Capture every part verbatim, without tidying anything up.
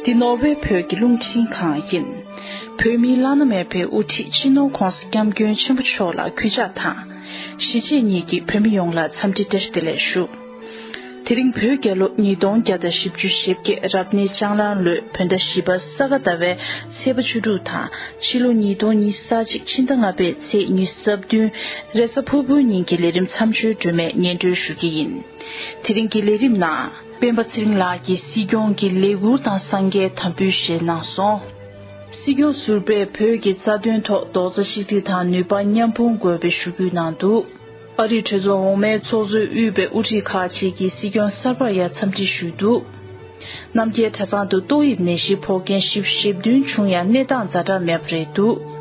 འདི་ནོར་ཝེ་བོད་ཀྱི་རླུང་འཕྲིན་ཁང་ཡིན། བོད་མིའི་བླ་ན་མེད་པའི་དབུ་ཁྲིད་སྤྱི་ནོར་༧གོང་ས་༧སྐྱབས་མགོན་ཆེན་པོ་མཆོག་ལ་གུས་ཕྱག་དང་། གཞིས་བྱེས་གཉིས་ཀྱི་བོད་མི་ཡོངས་ལ་འཚམས་འདྲི་བཀྲ་ཤིས་བདེ་ལེགས་ཞུ། དེ་རིང་བོད་རྒྱལ་ལོ་ཉིས་སྟོང་བརྒྱ་དང་བཞི་བཅུ་ཞེ་བརྒྱད་རབ་གནས་ལྕང་གླང་ལོའི་བོད་ཟླ་བཞི་པ་ས་ག་ཟླ་བའི་ཚེས་པ་བཅུ་དྲུག་དང་ཕྱི་ལོ་ཉིས་སྟོང་ཉི་ཤུ་རྩ་གཅིག་ཕྱི་ཟླ་ལྔ་པའི་ཚེས་ཉི་ཤུ་རྩ་བདུན་རེས་གཟའ་ཕུར་བུའི་ཉིན་གྱི་ལས་རིམ་མཚམས་སྦྱོར་སྒྲོན་མེ་སྙན་སྒྲོན་ཞུ་གི་ཡིན། དེ་རིང་གི་ལས་རིམ་ནང་། སྤེན་པ་ཚེ་རིང་ལགས་ཀྱིས་སྲིད་སྐྱོང་གི་ལས་ཁུར་དང་གསང་རྒྱའི་དམ་འབུལ་བཞེས་གནང་སོང་། སྲིད་སྐྱོང་ཟུར་པས་བོད་ཀྱི་རྩ་དོན་ཐོག་རྡོག་རྩ་གཅིག་སྒྲིལ་དང་ནུས་པ་མཉམ་སྤུངས་དགོས་པའི་ཞུ་སྐུལ་གནང་འདུག་ཨ་རིའི་གྲོས་ཚོགས་འོག་མའི་ཚོགས་གཙོས་དབུས་པའི་དབུ་ཁྲིད་ཁག་ཅིག་གིས་སྲིད་སྐྱོང་གསར་པར་ཡང་འཚམས་འདྲི་ཞུས་འདུག་རྣམ་རྒྱལ་གྲྭ་ཚང་དུ་ཏོག་དབྱིབས་ནད་གཞི་ཕོག་མཁན་བཞི་བཅུ་ཞེ་བདུན་བྱུང་ཡང་གནས་སྟངས་ཛ་དྲག་མེད་པ་རེད་འདུག་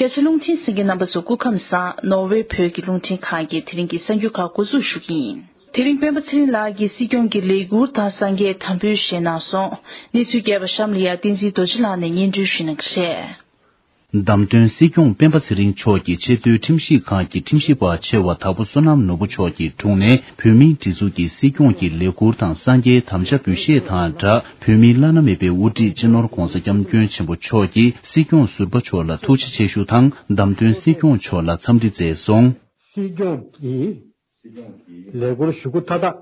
རྒྱ་ཆེ་རླུང་འཕྲིན་གསན་མཁན་རྣམ་པ་ཚོ་སྐུ་ཁམས་བཟང་། ནོར་ཝེ་བོད་ཀྱི་རླུང་འཕྲིན་ཁང་གིས་དེ་རིང་གི་གསར་འགྱུར་ཁག་འགོ་འཛུགས་ཞུ་གི་ཡིན། དེ་རིང་སྤེན་པ་ཚེ་རིང་ལགས་ཀྱིས་སྲིད་སྐྱོང་གི་ལས་ཁུར་དང་གསང་རྒྱའི་དམ་འབུལ་བཞེས་གནང་སོང་། གནས་ཚུལ་རྒྱས་པ་གཤམ་ལ་ཡང་བསྟན་འཛིན་རྡོ་རྗེ་ལགས་ནས་སྙན་སྒྲོན་ཞུ་གནང་གི་རེད། བདམས་ཐོན་སྲིད་སྐྱོང་སྤེན་པ་ཚེ་རིང་མཆོག་གིས་ཆེས་མཐོའི་ཁྲིམས་ཞིབ་ཁང་གི་ཁྲིམས་ཞིབ་པ་ཆེ་བ་དྭགས་པོ་བསོད་ནམས་ནོར་བུ་མཆོག་གི་དྲུང་ནས་བོད་མིའི་སྒྲིག་འཛུགས་ཀྱི་སྲིད་སྐྱོང་གི་ལས་ཁུར་དང་གསང་རྒྱའི་དམ་བཅའ་འབུལ་བཞེས་དང་སྦྲགས། བོད་མིའི་བླ་ན་མེད་པའི་དབུ་ཁྲིད་སྤྱི་ནོར་༧གོང་ས་༧སྐྱབས་མགོན་ཆེན་པོ་མཆོག་གིས་སྲིད་སྐྱོང་ཟུར་པ་མཆོག་ལ་ཐུགས་རྗེ་ཆེ་ཞུ་དང་། བདམས་ཐོན་སྲིད་སྐྱོང་མཆོག་ལ་འཚམས་འདྲི་མཛད་སོང་། སྲིད་སྐྱོང་གིས་ལས་ཁུར་ཞུ་སྒོ་མཐའ་དག་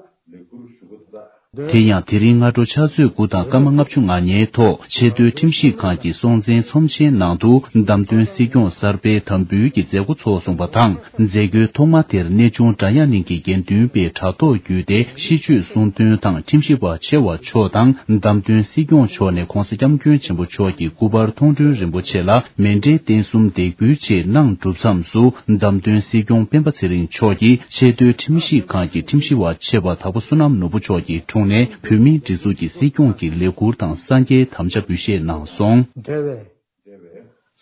དེ་ཡང་དེ་རིང་སྔ་དྲོ་ཕྱག་ཚོད་དགུ་དང་སྐར་མ་ལྔ་བཅུ་ང་གཉིས་ཐོག་ཆེས་མཐོའི་ཁྲིམས་ཞིབ་ཁང་གི་སྲོང་བཙན་ཚོམས་ཆེན་ནང་དུ་བདམས་ཐོན་སྲིད་སྐྱོང་གསར་པའི་དམ་འབུལ་གྱི་མཛད་སྒོ་ཚོགས་སོང་བ་དང་། མཛད་སྒོའི་ཐོག་མ་དེར་གནས་ཆུང་བྲག་གཡང་གླིང་གི་དགེ་འདུན་པས་དྲ་ཐོག་བརྒྱུད་དེ་ཤིས་བརྗོད་གསུང་འདོན་དང་། ཁྲིམས་ཞིབ་པ་ཆེ་བ་མཆོག་དང་བདམས་ཐོན་སྲིད་སྐྱོང་མཆོག་ནས་༧གོང་ས་༧སྐྱབས་མགོན་ཆེན་པོ་མཆོག་གི་སྐུ་པར་མཐོང་གྲོལ་རིན་པོ་ཆེ་ལ་མཎྜལ་རྟེན་གསུམ་འདེགས་འབུལ་བཅས་གནང་གྲུབ་མཚམས་སུ། བདམས་ཐོན་སྲིད་སྐྱོང་སྤེན་པ་ཚེ་རིང་མཆོག་གིས་ཆེས་མཐོའི་ཁྲིམས་ཞིབ་ཁང་གི་ཁྲིམས་ཞིབ་པ་ཆེ་བ་དྭགས་པོ་བསོད་ནམས་ནོར་བུ་མཆོག་གི་དྲུང་ནས་བོད་མིའི་སྒྲིག་འཛུགས་ཀྱི་སྲིད་སྐྱོང་གི་ལས་ཁུར་དང་གསང་རྒྱའི་དམ་བཅའ་འབུལ་བཞེས་གནང་སོང་། འབྲེལ་བའི་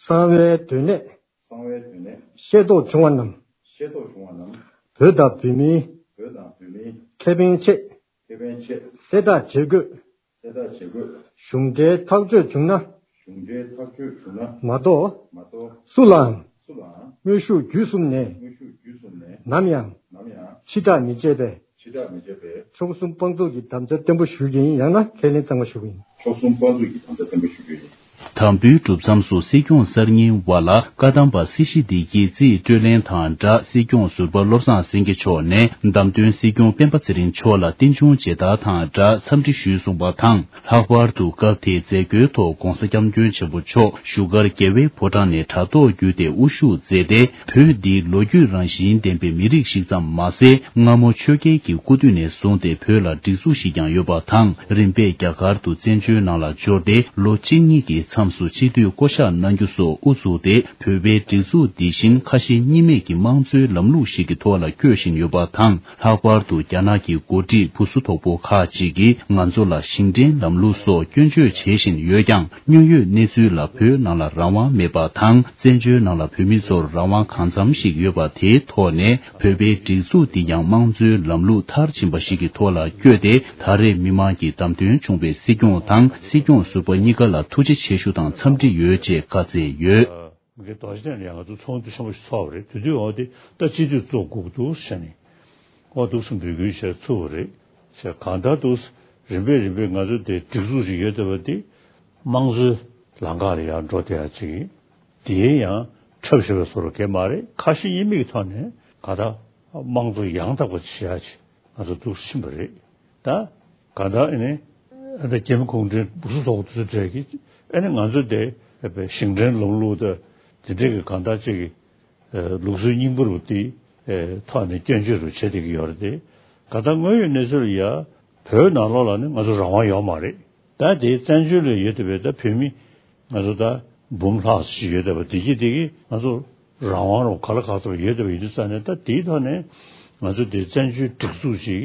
གསང་བའི་དོན་གནད་ཤེས་རྟོགས་བྱུང་བ་རྣམས། བོད་དང་བོད་མིའི་ཁེ་ཕན་ཆེད། གསལ་བསྒྲགས་བྱེད་དགོས། གཞུང་འབྲེལ་ཐག་གཅོད་བྱུང་ན། མ་གཏོགས། སུ་ལའང་། དངོས་ཤུགས་བརྒྱུད་གསུམ་ནས། ནམ་ཡང་། ཕྱི་བསྒྲགས་མི་བྱེད་པའི། ཕྱོགས་གསུམ་དཔང་འཛུགས་ཀྱི་དམ་བཅའ་བརྟན་པོ་ཞུ་རྒྱུ་ཡིན། ཡང་ན་ཁས་ལེན་གཙང་མ་ཞུ་རྒྱུ་ཡིན། ཕྱོགས་གསུམ་དཔང་འཛུགས་ཀྱི་དམ་བཅའ་བརྟན་པོ་ཞུ་རྒྱུ་ཡིན། དམ་འབུལ་གྲུབ་མཚམས་སུ་སྲིད་སྐྱོང་གསར་རྙིང་བ་ལ་བཀའ་གདམས་པ་སྲིད་ཞི་བདེ་སྐྱིད་རྩིས་སྤྲོད་ལེན་དང་སྦྲགས། སྲིད་སྐྱོང་ཟུར་པ་བློ་བཟང་སེང་གེ་མཆོག་ནས་བདམས་ཐོན་སྲིད་སྐྱོང་སྤེན་པ་ཚེ་རིང་མཆོག་ལ་རྟེན་འབྱུང་མཇལ་དར་དང་སྦྲགས་འཚམས་འདྲི་ཞུས་གསུངས་པ་དང་། ལྷག་པར་དུ་སྐབས་དེའི་མཛད་སྒོའི་ཐོག་༧གོང་ས་༧སྐྱབས་མགོན་ཆེན་པོ་མཆོག་བཞུགས་སྒར་རྒྱལ་བའི་ཕོ་བྲང་ནས་དྲ་ཐོག་བརྒྱུད་དེ་དབུ་བཞུགས་མཛད་དེ། བོད་འདི་ལོ་རྒྱུས་རང་བཞིན་ལྡན་པའི་མི་རིགས་ཤིག་ཙམ་མ་ཟད། སྔ་མོ་ཆོས་རྒྱལ་གྱི་སྐུ་དུས་ནས་བཟུང་སྟེ་བོད་ལ་སྒྲིག་འཛུགས་ཤིག་ཀྱང་ཡོད་པ་དང་། རིམ་པས་རྒྱ་གར་དུ་བཙན་བྱོལ་ནང་ལ་འབྱོར་ཏེ། ལོ་གཅིག་གཉིས་ཀྱི་མཚམས་སུ་སྤྱི་འཐུས་བསྐོ་གཞག་གནང་རྒྱུ་སོགས་དབུ་བཙུགས་ཏེ། བོད་པའི་སྒྲིག་འཛུགས་འདི་བཞིན་ཁ་ཞེ་གཉིས་མེད་ཀྱི་དམངས་གཙོའི་ལམ་ལུགས་ཤིག་གི་ཐོག་ལ་བསྐྱོད་བཞིན་ཡོད་པ་དང་། ལྷག་པར་དུ་རྒྱ་ནག་གི་འགོ་ཁྲིད་བུ་གསོ་དོག་པོ་ཁག་ཅིག་གིས་ང་ཚོ་ལ་ཞིང་བྲན་ལམ་ལུགས་སོགས་སྐྱོན་བརྗོད་བྱེད་བཞིན་ཡོད་ཀྱང་། དངོས་ཡོད་གནས་ཚུལ་ལ་བོད་ནང་ལ་རང་དབང་མེད་པ་དང་། བཙན་བྱོལ་ནང་ལ་བོད་མི་ཚོར་རང་དབང་གང་འཚམ་ཞིག་ཡོད་པ་དེའི་ཐོག་ནས། བོད་པའི་སྒྲིག་འཛུགས་འདི་ཡང་དམངས་གཙོའི་ལམ་ལུགས་མཐར་ཕྱིན་པ་ཞིག་གི་ཐོག་ལ་བསྐྱོད་དེ། ད་རེས་མི་མང་གིས་བདམས་ཐོན་བྱུང་བའི་སྲིད་སྐྱོང་དང་སྲིད་སྐྱོང་ཟུར་པ་གཉིས་ཀ་ལ་ཐུགས་རྗེ་ཆེ་ཞུ་དང་འཚམས་འདྲི་ཡོད་ཅེས་བཀའ་སྩལ་ཡོད། མི་སྒེར་རྡོ་རྗེ་གདན་ལ་ཡང་ང་ཚོ་ཚོགས་འདུ་ཆེན་པོ་ཞིག་ཚོགས་པ་རེད། དེ་དུས་འོ་དེ་ད་སྤྱི་འཐུས་ཚོགས་དགོས་ཀྱི་འདུག་ཟེར་ནས་འོ་འདུག་སེ་འབོད་སྐུལ་བྱས་ཚུགས་པ་རེད། བྱས་གང་ལྟར་འདུག་རིམ་པས་རིམ་པས་ང་ཚོ་དེ་སྒྲིག་འཛུགས་ཤིག་ཡོད་བསྡད་པ་དེ་དམངས་གཙོའི་ལམ་ཁ་ལ་ཡར་འགྲོ་བསྡད་ཡ་ཅིག་ཡིན། དེའི་ཡང་འཁྲབ་བཞིན་པའི་བཟོ་འདྲ་གང་ཡང་མ་རེད། ཁ་ཞེ་གཉིས་མེད་ཀྱི་ཐོག་ནས་གང་ལྟར་དམངས་གཙོ་ཡང་དག་པ་བྱེད་ཡ་ཅིག་ང་ཚོ་འདུག་སེ་ཕྱིན་པ་རེད། ད་གང་ལྟར་ཨ་ནི་ཨ་ནི་རྒྱ་མི་གུང་ཁྲན་སྦུག་སུ་ཐོག་དེ་ཚོ་གྲས་ཀྱིས་ཨ་ནི་ང་ཚོ་དེ་ཞིང་བྲན་ལམ་ལུགས་དང་དེ་འདྲས་ཀྱི་གང་ལྟར་ཅིག་གི་ལུགས་སྲོལ་རྙིང་པ་རུ་དེ་ཐོག་ནས་སྐྱོན་བརྗོད་རུ་བྱེད་བསྡད་ཀྱི་ཡོད་རེད་དེ། གང་ལྟར་དངོས་ཡོད་གནས་ཚུལ་ལ་ཡ་བོད་ནང་ལོགས་ལ་ནི་ང་ཚོ་རང་དབང་ཡོད་མ་རེད། ད་དེ་བཙན་བྱོལ་ལ་ཡོད་བསྡད་པའི་ད་བོད་མི་ང་ཚོ་ད་འབུམ་ལྷག་ཅིག་ཡོད་བསྡད་པ་དེ་གྱིས་དེ་གིས་ང་ཚོ་རང་དབང་རུ་ག་ལ་ག་ཚོད་ཡོད་བསྡད་པ་ཡིན་དུས་ཙང་ནས། ད་དེའི་ཐོག་ནས་ང་ཚོ་དེ་བཙན་བྱོལ་སྒྲིག་འཛུགས་ཅིག་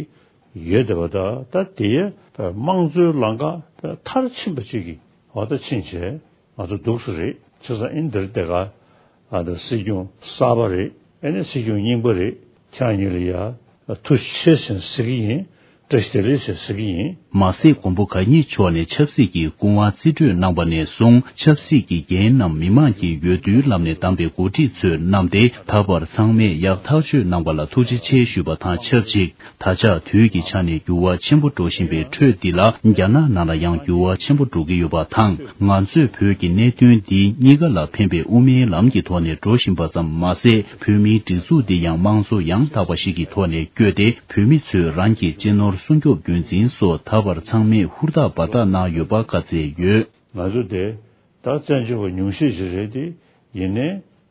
ཡོད་བསྡད་པ། ད་ད་དེ་དམངས་གཙོའི་ལམ་ཁ་ད་མཐར་ཕྱིན་པ་ཅིག་གི་འོ་ད་ཕྱིན་བྱས་ང་ཚོ་འདུག་སེ་རེད། བྱས་ཙང་ཨིན་དེར་དེ་ག་ཨ་ད་སྲིད་སྐྱོང་གསར་པ་རེད། ཨེ་ནས་སྲིད་སྐྱོང་རྙིང་པ་རེད། ཁྱེད་རང་གཉིས་ལ་ཡ་ཐུགས་རྗེ་ཆེ་ཟེར་ཟེར་གྱི་ཡིན། བཀྲ་ཤིས་བདེ་ལེགས་ཟེར་ཟེར་གྱི་ཡིན། མ་ཟད་མགོན་པོ་གང་ཉིད་མཆོག་ནས་ཆབ་སྲིད་ཀྱི་སྐུ་དབང་རྩིས་སྤྲོད་གནང་བ་ནས་བཟུང་ཆབ་སྲིད་ཀྱི་འགན་རྣམས་མི་མང་གིས་འོས་བསྡུའི་ལམ་ནས་བདམས་པའི་འགོ་ཁྲིད་ཚོས་བསྣམས་ཏེ་ད་བར་ཚང་མས་ཡག་ཐག་གཅོད་གནང་བ་ལ་ཐུགས་རྗེ་ཆེ་ཞུས་པ་དང་ཆབས་ཅིག་ད་ཆ་དུས་ཀྱི་ཆ་ནས་འགྱུར་བ་ཆེན་པོ་འགྲོ་བཞིན་པའི་ཁྲོད་འདི་ལ་རྒྱ་ནག་ནང་ལ་ཡང་འགྱུར་བ་ཆེན་པོ་འགྲོ་གི་ཡོད་པ་དང་། ང་ཚོས་བོད་ཀྱི་གནད་དོན་འདི་གཉིས་ཀ་ལ་ཕན་པའི་དབུ་མའི་ལམ་གྱི་ཐོག་ནས་འགྲོ་བཞིན་པ་ཙམ་མ་ཟད། བོད་མིའི་སྒྲིག་འཛུགས་འདི་ཡང་དམངས་གཙོ་ཡང་དག་པ་ཞིག་གི་ཐོག་ནས་བསྐྱོད་དེ། བོད་མི་ཚོས་རང་གི་གཅེས་ནོར་སྲུང་སྐྱོབ་རྒྱུན་འཛིན་སོགས་ད་བར་ཚང་མས་ཧུར་ཐག་འབད་ཐག་གནང་ཡོད་པ་བཀའ་སྩལ་ཡོད། ང་ཚོ་དེ་ད་བཙན་བྱོལ་བ་ཉུང་ཤས་ཤིག་རེད་དེ། ཡིན་ནའི་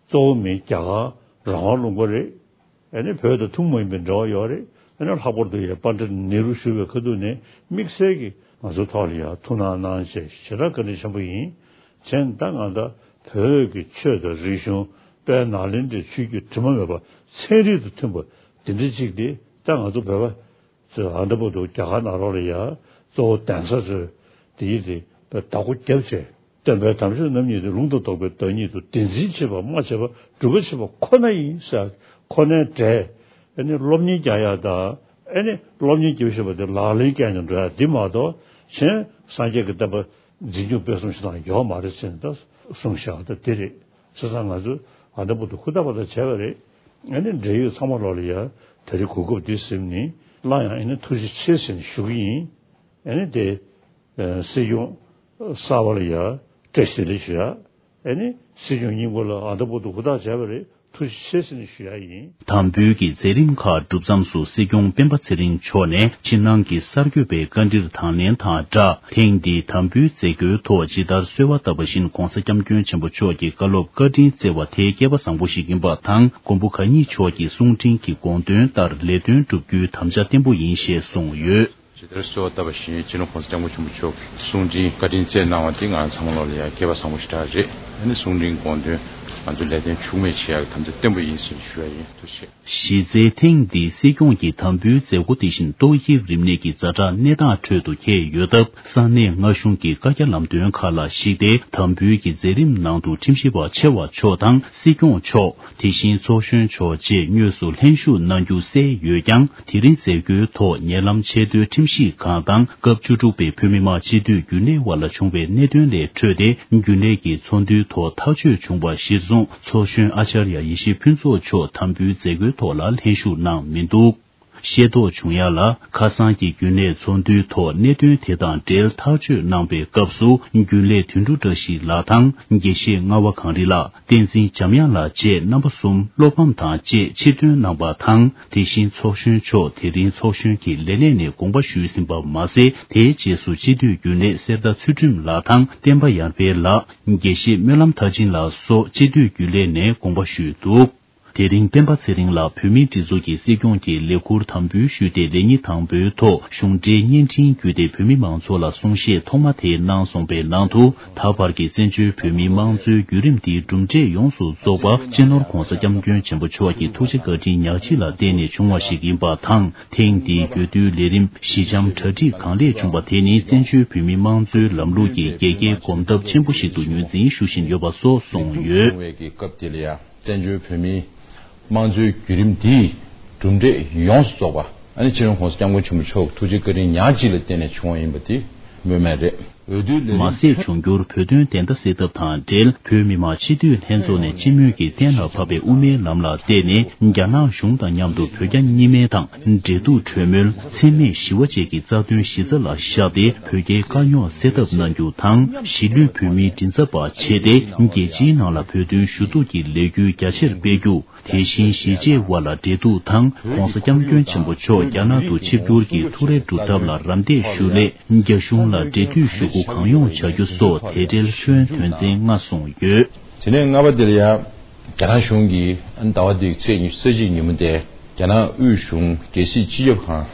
གཙོ་བོ་མི་རྒྱ་གར་རང་དབང་ལུང་པ་རེད། ཨ་ནི་བོད་དང་ཐུན་མོང་མ་ཡིན་པའི་འབྲེལ་བ་ཡོད་རེད། ཨ་ནི་ལྷག་པར་དུ་ཡ་པཎྜི་ཏ་ནེ་རུ་བཞུགས་པའི་ཁ་ཐུག་ནས་དམིགས་བསལ་གྱིས་ང་ཚོའི་ཐོག་ལ་ཡ་ཐུགས་སྣང་གནང་བྱས་ཞེ་དྲག་བཀའ་དྲིན་ཆེན་པོ་ཡིན། བྱས་ད་ང་ད་བོད་ཀྱི་ཆོས་དང་རིག་གཞུང་དཔལ་ནཱ་ལེནྡྲའི་ཆོས་བརྒྱུད་དྲི་མ་མེད་པ་ཚན་རིག་དང་མཐུན་པ་འདི་འདྲ་ཅིག་དེ་ད་ང་ཚོ་བོད་པ་ཚོས་ཨ་ད་བར་དུ་རྒྱ་གར་ནང་ལོགས་ལ་ཡ་གཙོ་བོ་གདན་ས་ཚོས་དེ་ཡིས་དེ་བདག་པོ་བརྒྱབ་བྱས། སྟོན་པའི་དམ་ཆོས་རྣམ་གཉིས་ཏེ། ལུང་དང་རྟོགས་པའི་བདག་ཉིད་དོ། དེ་འཛིན་བྱེད་པ་སྨྲ་བྱེད་པ་སྒྲུབ་པ་བྱེད་པ་ཁོ་ན་ཡིན་ཟེར། ཁོ་ནའི་འབྲས་ཨ་ནི་སློབ་གཉེར་རྒྱག་ཡ་དང་ཨ་ནི་སློབ་གཉེར་རྒྱབ་བཞིན་པ་དེ་ལག་ལེན་བཀལ་ནས་འགྲོ་ཡ་འདི་མ་གཏོགས་གཞན་སངས་རྒྱས་ཀྱི་བསྟན་པ་འཛིན་སྐྱོང་སྤེལ་གསུམ་ཞིག་དང་ཡོད་མ་རེད་ཟེར་ནས་ད་གསུངས་བཞག་ད་དེ་རེད། བྱས་ཙང་ང་ཚོས་ཨ་ད་བར་དུ་ཧུར་ཐག་པ་ད་བྱས་པ་རེད། ཨ་ནི་འབྲེལ་ཡོད་ཚང་མ་ལོག་ལ་ཡ་ད་རེས་གོ་སྐབས་འདི་ཟིན་ནས་སླར་ཡང་ཨ་ནི་ཐུགས་རྗེ་ཆེ་ཟེར་ནས་ཞུ་གི་ཡིན། ཨ་ནི་དེ། སྲིད་སྐྱོང་གསར་པ་ལ་ཡ་བཀྲ་ཤིས་བདེ་ལེགས་ཞུ་ཡ། ཨ་ནི་སྲིད་སྐྱོང་རྙིང་པ་ལ་ཨ་ད་བར་དུ་ཧུར་ཐག་བྱས་པ་རེད། ཐུགས་རྗེ་ཆེ་ཟེར་ནས་ཞུ་ཡ་ཡིན། དམ་འབུལ་གྱི་མཛད་རིམ་ཁག་གྲུབ་མཚམས་སུ་སྲིད་སྐྱོང་སྤེན་པ་ཚེ་རིང་མཆོག་ནས་ཕྱི་ནང་གི་གསར་འགོད་པའི་བཀའ་འདྲིར་དང་ལེན་དང་སྦྲགས། ཐེངས་འདིའི་དམ་འབུལ་མཛད་སྒོའི་ཐོག་ཇི་ལྟར་གསོལ་བ་བཏབ་པ་བཞིན་༧གོང་ས་༧སྐྱབས་མགོན་ཆེན་པོ་མཆོག་གི་བཀའ་སློབ་བཀའ་དྲིན་བསྩལ་བ་དེ་སྐལ་པ་བཟང་པོ་ཞིག་ཡིན་པ་དང་། མགོན་པོ་གང་ཉིད་མཆོག་གི་གསུང་འཕྲིན་གྱི་དགོངས་དོན་ལྟར་ལས་དོན་བསྒྲུབ་རྒྱུའི་དམ་བཅའ་བརྟན་པོ་ཡིན་ཞེས་གསུངས་ཡོད། ཇི་ལྟར་གསོལ་བ་བཏབ་པ་བཞིན་སྤྱི་ནོར་༧གོང་ས་༧སྐྱབས་མགོན་ཆེན་པོ་མཆོག་གིས་གསུང་འཕྲིན་བཀའ་དྲིན་བསྩལ་གནང་བ་དེ་ང་རང་ཚང་མ་ལོག་ལ་ཡང་སྐལ་པ་བཟང་པོ་ཞེ་དྲག་རེད། ཨ་ནི་གསུང་འཕྲིན་དགོངས་དོན་ང་ཚོ་ལས་དོན་འཕྱུགས་མེད་བྱེད་ཡག་གི་དམ་བཅའ་བརྟན་པོ་ཡིན་ཟེར་ཞུ་ཡ་ཡིན། ཐུགས་རྗེ་ཆེ། གཞི་རྩའི་ཐེངས་འདིའི་སྲིད་སྐྱོང་གི་དམ་འབུལ་མཛད་སྒོ་དེ་བཞིན་ཏོག་དབྱིབས་རིམས་ནད་ཀྱི་ཛ་དྲག་གནས་སྟངས་ཁྲོད་དུ་འཁེལ་ཡོད་སྟབས། ས་གནས་མངའ་གཞུང་གི་བཀའ་རྒྱ་ལམ་སྟོན་ཁག་ལ་གཞིགས་ཏེ། དམ་འབུལ་གྱི་མཛད་རིམ་ནང་དུ་ཁྲིམས་ཞིབ་པ་ཆེ་བ་མཆོག་དང་སྲིད་སྐྱོང་མཆོག་དེ་བཞིན་ཚོགས་གཞོན་མཆོག་བཅས་དངོས་སུ་ལྷན་ཞུགས་གནང་རྒྱུ་གསལ་ཡོད་ཀྱང་། དེ་རིང་མཛད་སྒོའི་ཐོག་ཉེ་ལམ་ཆེས་མཐོའི་ཁྲིམས་ཞིབ་ཁང་དང་སྐབས་བཅུ་དྲུག་པའི་བོད་མི་མང་སྤྱི་འཐུས་རྒྱུན་ལས་དབར་ལ་བྱུང་བའི་གནད་དོན་ལས་འཕྲོས་ཏེ། རྒྱུན་ལས་ཀྱི་ཚོགས་འདུའི་ཐོག་ཐག་གཅོད་བྱུང་བ་གཞིར་བཟུང་། ཚོགས་གཞོན་ཨ་ཅར་ཡ་ཡེ་ཤེས་ཕུན་ཚོགས་མཆོག་དམ་འབུལ་མཛད་སྒོའི་ཐོག་ལ་ལྷན་ཞུགས་གནང་མི་འདུག་ཤེས་རྟོགས་བྱུང་ཡ་ལ། ཁ་སང་གི་རྒྱུན་ལས་ཚོགས་འདུའི་ཐོག་གནད་དོན་དེ་དང་འབྲེལ་ཐག་གཅོད་གནང་པའི་སྐབས་སུ། རྒྱུན་ལས་དོན་གྲུབ་བཀྲ་ཤིས་ལགས་དང་། དགེ་བཤེས་རྔ་བ་གངས་རི་ལགས། བསྟན་འཛིན་འཇམ་དབྱངས་ལགས་བཅས་རྣམ་པ་གསུམ་བློ་ཕམ་དང་བཅས་ཕྱིར་ཐོན་གནང་པ་དང་། དེ་བཞིན་ཚོགས་གཞོན་མཆོག་དེ་རིང་ཚོགས་གཞོན་གྱི་ལས་གནས་ནས་དགོངས་པ་ཞུས་ཟིན་པ་མ་ཟད། དེའི་རྗེས་སུ་སྤྱི་འཐུས་རྒྱུན་ལས་གསེར་རྟ་ཚུལ་ཁྲིམས་ལགས་དང་། བསྟན་པ་ཡར་འཕེལ་ལགས། དགེ་བཤེས་སྨོན་ལམ་མཐར་ཕྱིན་ལགས་སོགས་སྤྱི་འཐུས་རྒྱུན་ལས་ནས་དགོངས་པ་ཞུས་འདུག་དེ་རིང་སྤེན་པ་ཚེ་རིང་ལགས་བོད་མིའི་སྒྲིག་འཛུགས་ཀྱི་སྲིད་སྐྱོང་གི་ལས་ཁུར་དམ་འབུལ་ཞུས་ཏེ། ལས་ཉིན་དང་པོའི་ཐོག་གཞུང་འབྲེལ་བརྙན་འཕྲིན་བརྒྱུད་དེ་བོད་མི་མང་ཚོགས་ལ་གསུང་བཤད་ཐོག་མ་དེ་གནང་སོང་པའི་ནང་དུ། ད་བར་གྱི་བཙན་བྱོལ་བོད་མིའི་དམངས་གཙོའི་བརྒྱུད་རིམ་འདིའི་གྲུབ་འབྲས་ཡོངས་སུ་རྫོགས་པ་སྤྱི་ནོར་༧གོང་ས་༧སྐྱབས་མགོན་ཆེན་པོ་མཆོག་གི་ཐུགས་རྗེ་བཀའ་དྲིན་ཉག་གཅིག་ལ་བརྟེན་ནས་བྱུང་བ་ཞིག་ཡིན་པ་དང་། ཐེངས་འདིའི་འོས་བསྡུའི་ལས་རིམ་ཞི་འཇམ་གྲ་སྒྲིག་གང་ལེགས་བྱུང་བ་དེ་ནི་བཙན་བྱོལ་བོད་མིའི་དམངས་གཙོའི་ལམ་ལུགས་ཀྱི་རྒྱལ་ཁའི་གོམ་སྟབས་ཆེན་པོ་ཞིག་ཏུ་ངོས་འཛིན་ཞུ་བཞིན་ཡོད་པ་སོགས་གསུངས་ཡོད། བཙན་བྱོལ་བོད་མིའི་དམངས་གཙོའི་བརྒྱུད་རིམ་འདིའི་གྲུབ་འབྲས་ཡོངས་སུ་རྫོགས་པ། ཨ་ནི་སྤྱི་ནོར་༧གོང་ས་༧སྐྱབས་མགོན་ཆེན་པོ་མཆོག་གི་ཐུགས་རྗེ་བཀའ་དྲིན་ཉག་གཅིག་ལ་བརྟེན་ནས་བྱུང་བ་ཡིན་པ་དེ་སྨོས་མེད་རེད། འོས་བསྡུའི་ལས་རིམ། མ་ཟད། འབྱུང་འགྱུར་བོད་དོན་བདེན་མཐའ་གསལ་ཐབས་དང་འབྲེལ། བོད་མི་མང་སྤྱི་འཐུས་ལྷན་ཚོགས་ནས་སྤྱི་མོས་ཀྱིས་གཏན་ལ་ཕབ་པའི་དབུ་མའི་ལམ་ལ་བརྟེན་ནས། རྒྱ་ནག་གཞུང་དང་མཉམ་དུ་བོད་རྒྱ་གཉིས་སྨན་དང་འབྲེལ་གཏུག་གྲོས་མོལ། འཚེ་མེད་ཞི་བ་བཅས་ཀྱི་རྩ་དོན་གཞི་རྩ་ལ་བཞག་སྟེ། བོད་རྒྱའི་དཀའ་རྙོག་སེལ་ཐབས་གནང་རྒྱུ་དང་། གཞིས་ལུས་བོད་མིའི་མགྲིན་ཚབ་པ་བྱས་ཏེ། རྒྱལ་སྤྱིའི་ནང་ལ་བོད་དོན་ཞུ་གཏུག་གི་ལས་འགུལ་རྒྱ་ཆེར་སྤེལ་རྒྱུ། དེ་བཞིན་གཞིས་བྱེས་དབར་ལ་འབྲེལ་གཏུག་དང་། ༸གོང་ས་༸སྐྱབས་མགོན་ཆེན་པོ་མཆོག་རྒྱ་ནག་ཏུ་ཆིབས་བསྒྱུར་གྱི་ཐུགས་རེ་སྒྲུབ་ཐབས་ལ་རམ་འདེགས་ཞུ་སླད། རྒྱ་གཞུང་ལ་འབྲེལ་མཐུད་ཞུ་སྒོ་གང་ཡོང་བྱ་རྒྱུ་སོགས་དེ་འབྲེལ་སྐྱོན་དོན་ཚན་ལྔ་གསུངས་ཡོད། དེ་ནས་ལྔ་པ་དེ་ལ་ཡང་རྒྱ་ནག་གཞུང་གིས་ཟླ་བ་འདིའི་ཚེས་ཉི་ཤུ་རྩ་གཅིག་ཉིན་མོ་དེ་རྒྱ་ནག་དབུས་གཞུང་རྒྱལ་སྲིད་སྤྱི་ཁྱབ་ཁང་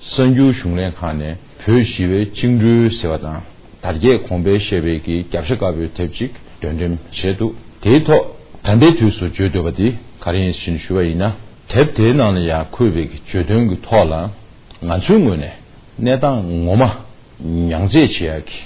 གསར་འགྱུར་གཞུང་ལས་ཁང་ནས་བོད་ཞི་བའི་བཅིངས་འགྲོལ་ཟེར་བ་དང་། དར་རྒྱས་གོང་འཕེལ་ཞེས་པའི་གི་རྒྱབ་ཤ་དཀར་པོའི་དེབ་ཅིག་འདོན་འགྲེམས་བྱས་འདུག་དེའི་ཐོག་ད་ལྟའི་དུས་སུ་བརྗོད་འདོད་པ་འདི་ག་རེ་ཡིན་ཞེས་ཞུ་བ་ཡིན་ན། དེབ་དེའི་ནང་ལ་ཡང་འཁོད་པའི་གི་བརྗོད་དོན་གྱི་ཐོག་ལ་ང་ཚོའི་ངོས་ནས་གནས་སྟངས་ངོ་མ་མྱང་རྩད་བྱེད་ཡག་གི་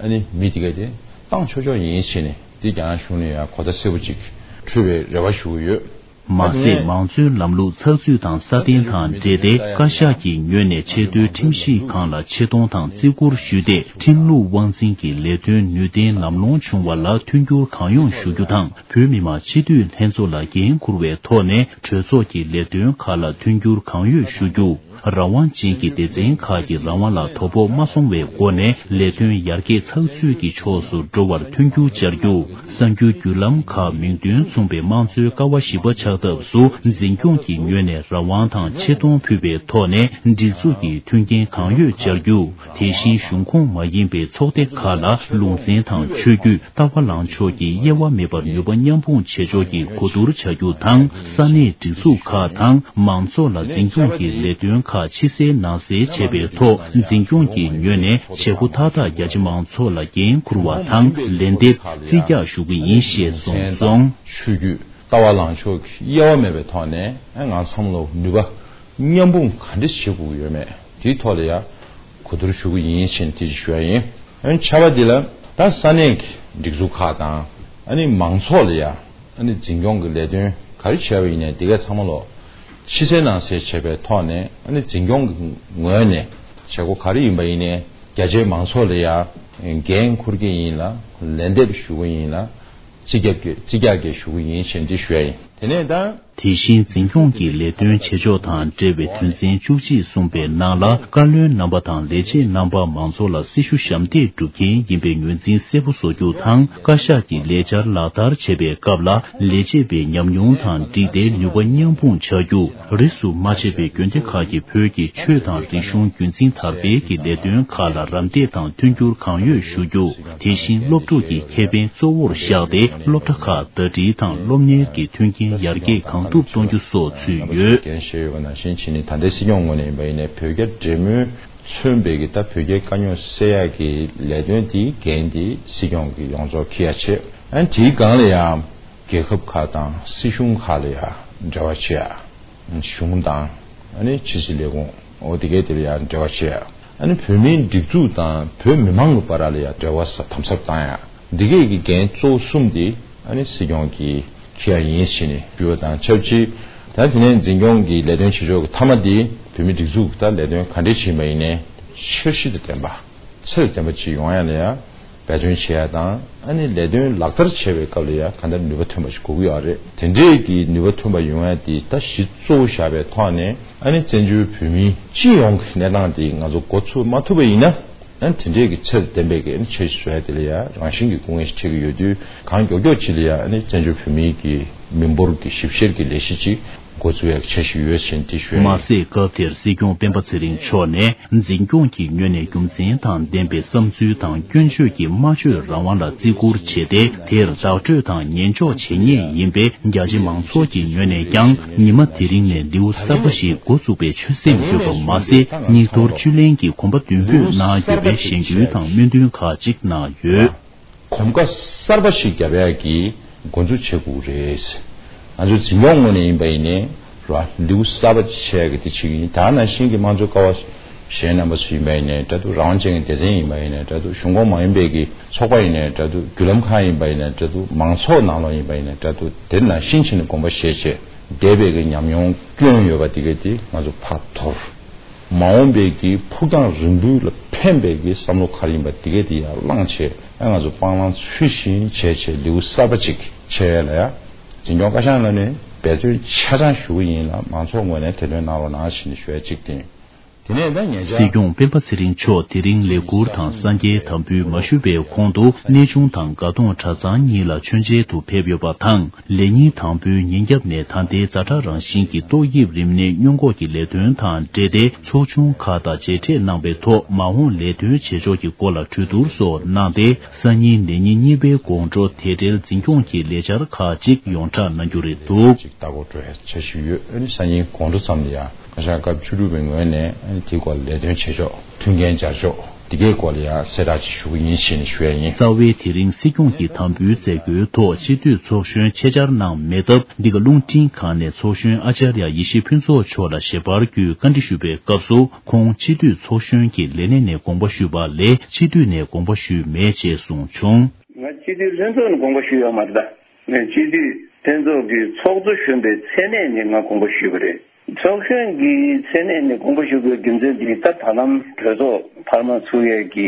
ཨ་ནི་མི་དེ་ག་དེ་བཏང་ཆོག་ཆོག་ཡིན་ཞེས་ནས་འདི་རྒྱ་ནག་གཞུང་ནས་ཡང་གོ་བརྡ་གསལ་པོ་ཅིག་འཕྲོད་པའི་རེ་བ་ཞུ་གི་ཡོད། མ་ཟད། མང་གཙོའི་ལམ་ལུགས་ཚགས་ཚུད་དང་སྲ་བརྟན་དང་འབྲེལ་ཏེ། བཀའ་ཤག་གི་ངོས་ནས་ཆེས་མཐོའི་ཁྲིམས་ཞིབ་ཁང་ལ་ཆེ་མཐོང་དང་བརྩི་བཀུར་ཞུས་ཏེ། ཁྲིམས་ལུགས་དབང་འཛིན་གྱི་ལས་དོན་ནུས་ལྡན་ལམ་ལྷོང་བྱུང་བ་ལ་མཐུན་འགྱུར་གང་ཡོང་ཞུ་རྒྱུ་དང་། བོད་མི་མང་སྤྱི་འཐུས་ལྷན་ཚོགས་ལ་འགན་འཁུར་བའི་ཐོག་ནས་གྲོས་ཚོགས་ཀྱི་ལས་དོན་ཁག་ལ་མཐུན་འགྱུར་གང་ཡོད་ཞུ་རྒྱུ། རང་དབང་ཅན་གྱི་སྡེ་ཚན་ཁག་གི་རང་དབང་ལ་དོ་ཕོག་མ་སོང་བའི་སྒོ་ནས་ལས་དོན་ཡར་རྒྱས་ཚགས་ཚུད་ཀྱི་ཕྱོགས་སུ་འགྲོ་བར་མཐུན་འགྱུར་སྦྱར་རྒྱུ། གསར་འགྱུར་བརྒྱུད་ལམ་ཁག་མིང་དོན་མཚུངས་པའི་དམངས་གཙོའི་ཀ་བ་བཞི་པ་ཆགས་ཐབས་སུ་འཛིན་སྐྱོང་གི་ངོས་ནས་རང་དབང་དང་ཆེ་མཐོང་ཕུལ་བའི་ཐོག་ནས་སྒྲིག་འཛུགས་ཀྱི་མཐུན་རྐྱེན་གང་ཡོད་སྦྱར་རྒྱུ། དེ་བཞིན་གཞུང་ཁོངས་མ་ཡིན་པའི་ཚོགས་སྡེ་ཁག་ལ་ལུང་ཚན་དང་ཆོས་བརྒྱུད། ལྟ་བ་ལངས་ཕྱོགས་ཀྱི་དབྱེ་བ་མེད་པར་ནུས་པ་མཉམ་སྤུངས་བྱེད་ཕྱོགས་ཀྱི་གོ་བསྡུར་བྱ་རྒྱུ་དང་། ས་གནས་སྒྲིག་འཛུགས་ཁག་དང་མང་ཚོགས་ལ་འཛིན་སྐྱོང་གི་ལས་དོན་ཁག་ཕྱི་གསལ་ནང་གསལ་བྱེད་པའི་ཐོག་འཛིན་སྐྱོང་གི་ངོས་ནས་བྱེད་སྒོ་མཐའ་དག་རྒྱ་ཆེ་མང་ཚོགས་ལ་འགན་འཁུར་བ་དང་ལན་འདེབས་རྩིས་རྒྱག་ཞུ་གི་ཡིན་ཞེས་གསུངས་སོང་། ཆོས་བརྒྱུད་ལྟ་བ་ལངས་ཕྱོགས་ཀྱི་དབྱེ་བ་མེད་པའི་ཐོག་ནས་ང་ཚང་མ་ལ་ནུས་པ་མཉམ་སྤུངས་ག་འདྲ་བྱེད་དགོས་ཀྱི་ཡོད་མེད་དེའི་ཐོག་ལ་ཡང་གོ་བསྡུར་ཞུ་གི་ཡིན་ཞེས་དེ་ཞུ་ཡ་ཡིན། ཨ་ནི་ཆར་པ་འདི་ལ་ད་ས་གནས་ཀྱི་སྒྲིག་འཛུགས་ཁག་དང་ཨ་ནི་མང་ཚོགས་ལ་ཡ་ཨ་ནི་འཛིན་སྐྱོང་གི་ལས་དོན་ག་རེ་བྱས་པ་ཡིན་ནའི་འདི་གའི་ཚང་མ་ལོ་ཕྱི་གསལ་ནང་གསལ་བྱས་པའི་ཐོག་ནས་ཨ་ནི་འཛིན་སྐྱོང་གི་ངོས་ནས་བྱེད་སྒོ་ག་རེ་ཡིན་པ་ཡིན་ནའི་རྒྱ་ཆེའི་མང་ཚོགས་ལ་ཡ་འགན་འཁུར་གྱི་ཡིན་ལ་ལན་འདེབས་ཞུ་གི་ཡིན་ལ་རྩིས་རྒྱག་གི་རྩིས་རྒྱག་གི་ཞུ་གི་ཡིན་ཞེས་འདི་ཞུ་ཡ་ཡིན། དེ་ནས་ད། དེ་བཞིན་འཛིན་སྐྱོང་གི་ལས་དོན་བྱེད་ཕྱོགས་དང་འབྲེལ་བའི་དོན་ཚན་བཅུ་གཅིག་གསུངས་པའི་ནང་ལ། བཀའ་བློན་རྣམ་པ་དང་ལས་བྱེད་རྣམ་པ་མང་ཚོགས་ལ་སྲི་ཞུ་ཞབས་འདེགས་སྒྲུབ་མཁན་ཡིན་པའི་ངོས་འཛིན་གསལ་པོ་བཟོ་རྒྱུ་དང་། བཀའ་ཤག་གི་ལས་འཆར་ལག་བསྟར་བྱེད་པའི་སྐབས་ལ་ལས་བྱེད་པའི་ཉམས་མྱོང་དང་འགྲིག་སྟེ་ནུས་པ་མཉམ་སྤུངས་བྱ་རྒྱུ། རིས་སུ་མ་ཆད་པའི་དགོན་སྡེ་ཁག་གི་བོད་ཀྱི་ཆོས་དང་རིག་གཞུང་རྒྱུན་འཛིན་དར་སྤེལ་གྱི་ལས་དོན་ཁག་ལ་རམ་འདེགས་དང་མཐུན་འགྱུར་གང་ཡོད་ཞུ་རྒྱུ། དེ་བཞིན་སློབ་ཕྲུག་གི་ཁེ་ཕན་གཙོ་བོར་བཞག་སྟེ་སློབ་གྲྭ་ཁག་ཟླ་སྒྲིལ་དང་སློབ་གཉེར་གྱི་མཐུན་རྐྱེན་ཡར་རྒྱས་གང་ཐུབ་གཏོང་རྒྱུ་སོགས་ཚུད་ཡོད། འགན་བཞེས་ཡོད་པ་ནང་བཞིན་བྱས་ནས་ད་ལྟའི་སྲིད་སྐྱོང་ངོས་ནས་ཡིན་པ་ཡིན་ནའི་བོད་རྒྱ་འབྲེལ་མོལ་མཚོན་པའི་གི་ད་བོད་རྒྱའི་དཀའ་རྙོག་སེལ་ཡག་གི་ལས་དོན་དེའི་འགན་དེ་སྲིད་སྐྱོང་གི་ཡོངས་རྫོགས་འཁྱེར་ཡ་བྱེད། ཨ་ནི་དེའི་སྒང་ལ་ཡང་རྒྱལ་ཁབ་ཁག་དང་སྲིད་གཞུང་ཁག་ལ་ཡང་འབྲེལ་བ་བྱེད་ཡ། གཞུང་དང་ཨ་ནི་ཕྱི་སྲིད་ལས་ཁུངས་འོ་དེ་གའི་དེ་ལ་ཡང་འབྲེལ་བ་བྱེད་ཡ། ཨ་ནི་བོད་མིའི་སྒྲིག་འཛུགས་དང་བོད་མི་མང་གི་བར་ལ་ཡང་འབྲེལ་བ་ས་དམ་ཟབ་བཏང་ཡ། འདི་གས་ཀྱི་འགན་གཙོ་བོ་གསུམ་དེ་ཨ་ནི་སྲིད་སྐྱོང་གིས་འཁྱེར་ཡ་ཡིན་ཞེས་ནས་ཞུ་བ་དང་ཆབས་ཅིག་ད་དེ་ནས་འཛིན་སྐྱོང་གི་ལས་དོན་བྱེད་ཕྱོགས་ཀྱི་མཐའ་མ་དེ་བོད་མིའི་སྒྲིག་འཛུགས་ཀྱི་ད་ལས་དོན་ག་འདྲས་བྱེད་པ་ཡིན་ནའི་འཆར་གཞི་དང་ལྡན་པ་ཚད་ལྡན་པ་ཅིག་ཡོང་ཡ་ལ་ཡང་འབད་བརྩོན་བྱེད་ཡ་དང་ཨ་ནི་ལས་དོན་ལག་བསྟར་བྱེད་པའི་སྐབས་ལ་ཡང་གང་ལྟར་ནུས་པ་ཐོན་པ་ཞིག་དགོས་ཀྱི་ཡོད་རེད། དེ་འདྲས་ཀྱི་ནུས་པ་ཐོན་པ་ཡོང་ཡ་དེ་ད་གཞི་གཙོ་བོ་བཞག་པའི་ཐོག་ནས་ཨ་ནི་བཙན་བྱོལ་བོད་མིའི་སྤྱི་ཡོངས་ཀྱི་གནས་སྟངས་དེ་ང་ཚོ་འགོ་ཚུགས་མ་ཐུབ་པ་ཡིན་ན། ཨ་ནི་དེ་འདྲས་ཀྱི་ཚད་ལྡན་པའི་གི་ཨ་ནི་འཆར་གཞི་བཟོ་ཡ་དེ་ལ་ཡང་རང་བཞིན་གྱི་སྐུ་ངལ་ཞིག་འཕྲད་ཀྱི་ཡོད་དུས་གང་མགྱོགས་མགྱོགས་ཅིག་ལ་ཡང་ཨ་ནི་བཙན་བྱོལ་བོད་མིའི་གི་མི་འབོར་གྱི་ཞིབ་བཤེར་གྱི་ལས་གཞི་ཅིག་འགོ་འཛུགས་ཡག་འཆར་གཞི་ཡོད་ཅེས་འདི་ཞུས། མ་ཟད། སྐབས་དེར་སྲིད་སྐྱོང་སྤེན་པ་ཚེ་རིང་མཆོག་ནས་འཛིན་སྐྱོང་གི་ངོས་ནས་རྒྱུ་མཚན་དང་ལྡན་པའི་བསམ་ཚུལ་དང་སྐྱོན་བརྗོད་ཀྱིས་སྨྲ་བརྗོད་རང་དབང་ལ་བརྩི་བཀུར་བྱས་ཏེ། དེར་བདག་སྤྲོད་དང་ཉན་འཇོག་བྱེད་ངེས་ཡིན་པས། རྒྱ་ཆེ་མང་ཚོགས་ཀྱི་ངོས་ནས་ཀྱང་ཉི་མ་དེ་རིང་ནས་ལེའུ་གསར་པ་ཞིག་འགོ་བཙུགས་པའི་ཆོད་སེམས་ཡོད་པ་མ་ཟད། སྙིགས་དོར་བཅུད་ལེན་གྱི་གོམ་པ་མདུན་སྤོས་གནང་ཡོད་པའི་ཞལ་རྒྱུན་དང་སྨོན་འདུན་ཁག་ཅིག་གནང་ཡོད། གོམ་ཁ་གསར་པ་ཞིག་བརྒྱབ་ཡག་གི་འགོ་འཛུགས་བྱེད་དགོས་རེད། ང་ཚོ་འཛིན་སྐྱོང་ངོས་ནས་ཡིན་པ་ཡིན་ནའི་ར་ལེའུ་གསར་པ་ཅིག་ཆགས་ཡག་གི་དེ་ཅིག་ཡིན། ད་ནང་བཞིན་གྱི་དམངས་གཙོའི་ཀ་བ་གཞན་རྣམ་པ་ཚོ་ཡིན་པ་ཡིན་ནའི་འདྲ་འདུག་རང་དབང་ཅན་གྱི་སྡེ་ཚན་ཡིན་པ་ཡིན་ནའི་འདྲ་འདུག་གཞུང་ཁོངས་མ་ཡིན་པའི་གི་ཚོགས་པ་ཡིན་ནའི་འདྲ་འདུག་བརྒྱུད་ལམ་ཁག་ཡིན་པ་ཡིན་ནའི་འདྲ་འདུག་མང་ཚོགས་ནང་ལོགས་ཡིན་པ་ཡིན་ནའི་འདྲ་འདུག་དེ་ནང་བཞིན་བྱས་ནས་དགོངས་པ་བཞེས་བྱས་འདས་པའི་གི་ཉམས་མྱོང་བསྐྱོན་ཡོད་པ་དེ་གས་དེ་ང་ཚོ་ཕར་དོར། མ་འོངས་པའི་གི་ཕུགས་རྒྱང་རིང་པོའི་ལ་ཕན་པའི་གི་བསམ་བློ་ག་རེ་ཡིན་པ་དེ་གས་དེ་ཡར་བླངས་བྱས་ཨ་ང་ཚོ་སྤང་བླང་ཚུལ་བཞིན་བྱས་བྱས་ལེའུ་གསར་པ་ཅིག་ཕྱེ་ཡ་ལ་ཡ་འཛིན་སྐྱོང་བཀའ་ཤག་ནང་ནས་འབད་བརྩོན་ཆ་ཚང་ཞུ་གི་ཡིན་ལ་མང་ཚོགས་ངོས་ནས་དེ་དོན་གནང་རོགས་གནང་ཞེས་ནས་ཞུ་ཡ་གཅིག་དེ་ཡིན། དེ་ནས་ད་ཉེ་ཆར། སྲིད་སྐྱོང་སྤེན་པ་ཚེ་རིང་མཆོག་དེ་རིང་ལས་ཁུར་དང་གསར་འགྱུར་དམ་འབུལ་མ་ཞུས་པའི་གོང་དུ་གནས་ཆུང་དང་དགའ་གདོང་གྲྭ་ཚང་གཉིས་ལ་མཆོད་མཇལ་དུ་ཕེབས་ཡོད་པ་དང་། ལས་ཉིན་དང་པོའི་ཉིན་རྒྱབ་ནས་ད་ལྟའི་ཛ་དྲག་རང་བཞིན་གྱི་ཏོག་དབྱིབས་རིམས་ནད་སྔོན་འགོག་གི་ལས་དོན་དང་འབྲེལ་ཏེ་ཚོགས་ཆུང་ཁག་དང་མཇལ་འཕྲད་གནང་བའི་ཐོག་མ་འོངས་ལས་དོན་བྱེད་ཕྱོགས་ཀྱི་སྐོར་ལ་གྲོས་བསྡུར་སོགས་གནང་སྟེ། སང་ཉིན་ལས་ཉིན་གཉིས་པའི་དགོང་དྲོ་དེ་འབྲེལ་འཛིན་སྐྱོང་གི་ལས་འཆར་ཁག་ཅིག་ཡོངས་བསྒྲགས་གནང་རྒྱུ་རེད་འདུག་ཅིག་ལྟ་སྐོར་འགྲོ་ཡ་འཆར་གཞི་ཡོད། ཨ་ནི་སང་ཉིན་དགོང་དྲོ་ཙམ་ལ་ཡ་བཀའ་ཤག་སྐབས་བཅུ་དྲུག་པའི་ངོས་ནས་ཨ་ནི་དེའི་སྐོར་ལ་ལས་དོན་བྱེད་ཕྱོགས་མཐུན་རྐྱེན་སྦྱར་ཕྱོགས་འདི་གའི་སྐོར་ལ་ཡ་གསལ་བསྒྲགས་ཅིག་ཞུ་གི་ཡིན་ཞེས་ནས་ཞུ་ཡ་ཡིན། རྩ་བའི་དེ་རིང་སྲིད་སྐྱོང་གི་དམ་འབུལ་མཛད་སྒོའི་ཐོག་སྤྱི་འཐུས་ཚོགས་གཞོན་ཆེད་བཅར་གནང་མེད་སྟབས། འདི་ག་རླུང་འཕྲིན་ཁང་ནས་ཚོགས་གཞོན་ཨ་ཅཱརྱ་ཡེ་ཤེས་ཕུན་ཚོགས་མཆོག་ལ་ཞལ་པར་བརྒྱུད་བཀའ་འདྲི་ཞུས་པའི་སྐབས་སུ། ཁོང་སྤྱི་འཐུས་ཚོགས་གཞོན་གྱི་ལས་གནས་ནས་དགོངས་པ་ཞུས་པ་ལས་སྤྱི་འཐུས་ནས་དགོངས་པ་ཞུས་མེད་ཅེས་གསུངས་བྱུང་། ང་སྤྱི་འཐུས་ལྷན་ཚོགས་ནས་དགོངས་པ་ཞུས་ཡོད་མ་རེད་ད། ངས་སྤྱི་འཐུས་ ལྷན་ཚོགས་ཀྱི་ཚོགས་གཙོ་གཞོན་པའི་མཚན་གནས་ནས་ང་དགོངས་པ་ཞུས་པ་རེད། ཚོགས་གཞོན་གྱི་མཚན་གནས་ནས་དགོངས་པ་ཞུ་དགོས་རྒྱུ་མཚན་དེ་ད་ད་ལམ་གྲོས་ཚོགས་འཕར་མ་ཚུགས་ཡས་ཀྱི་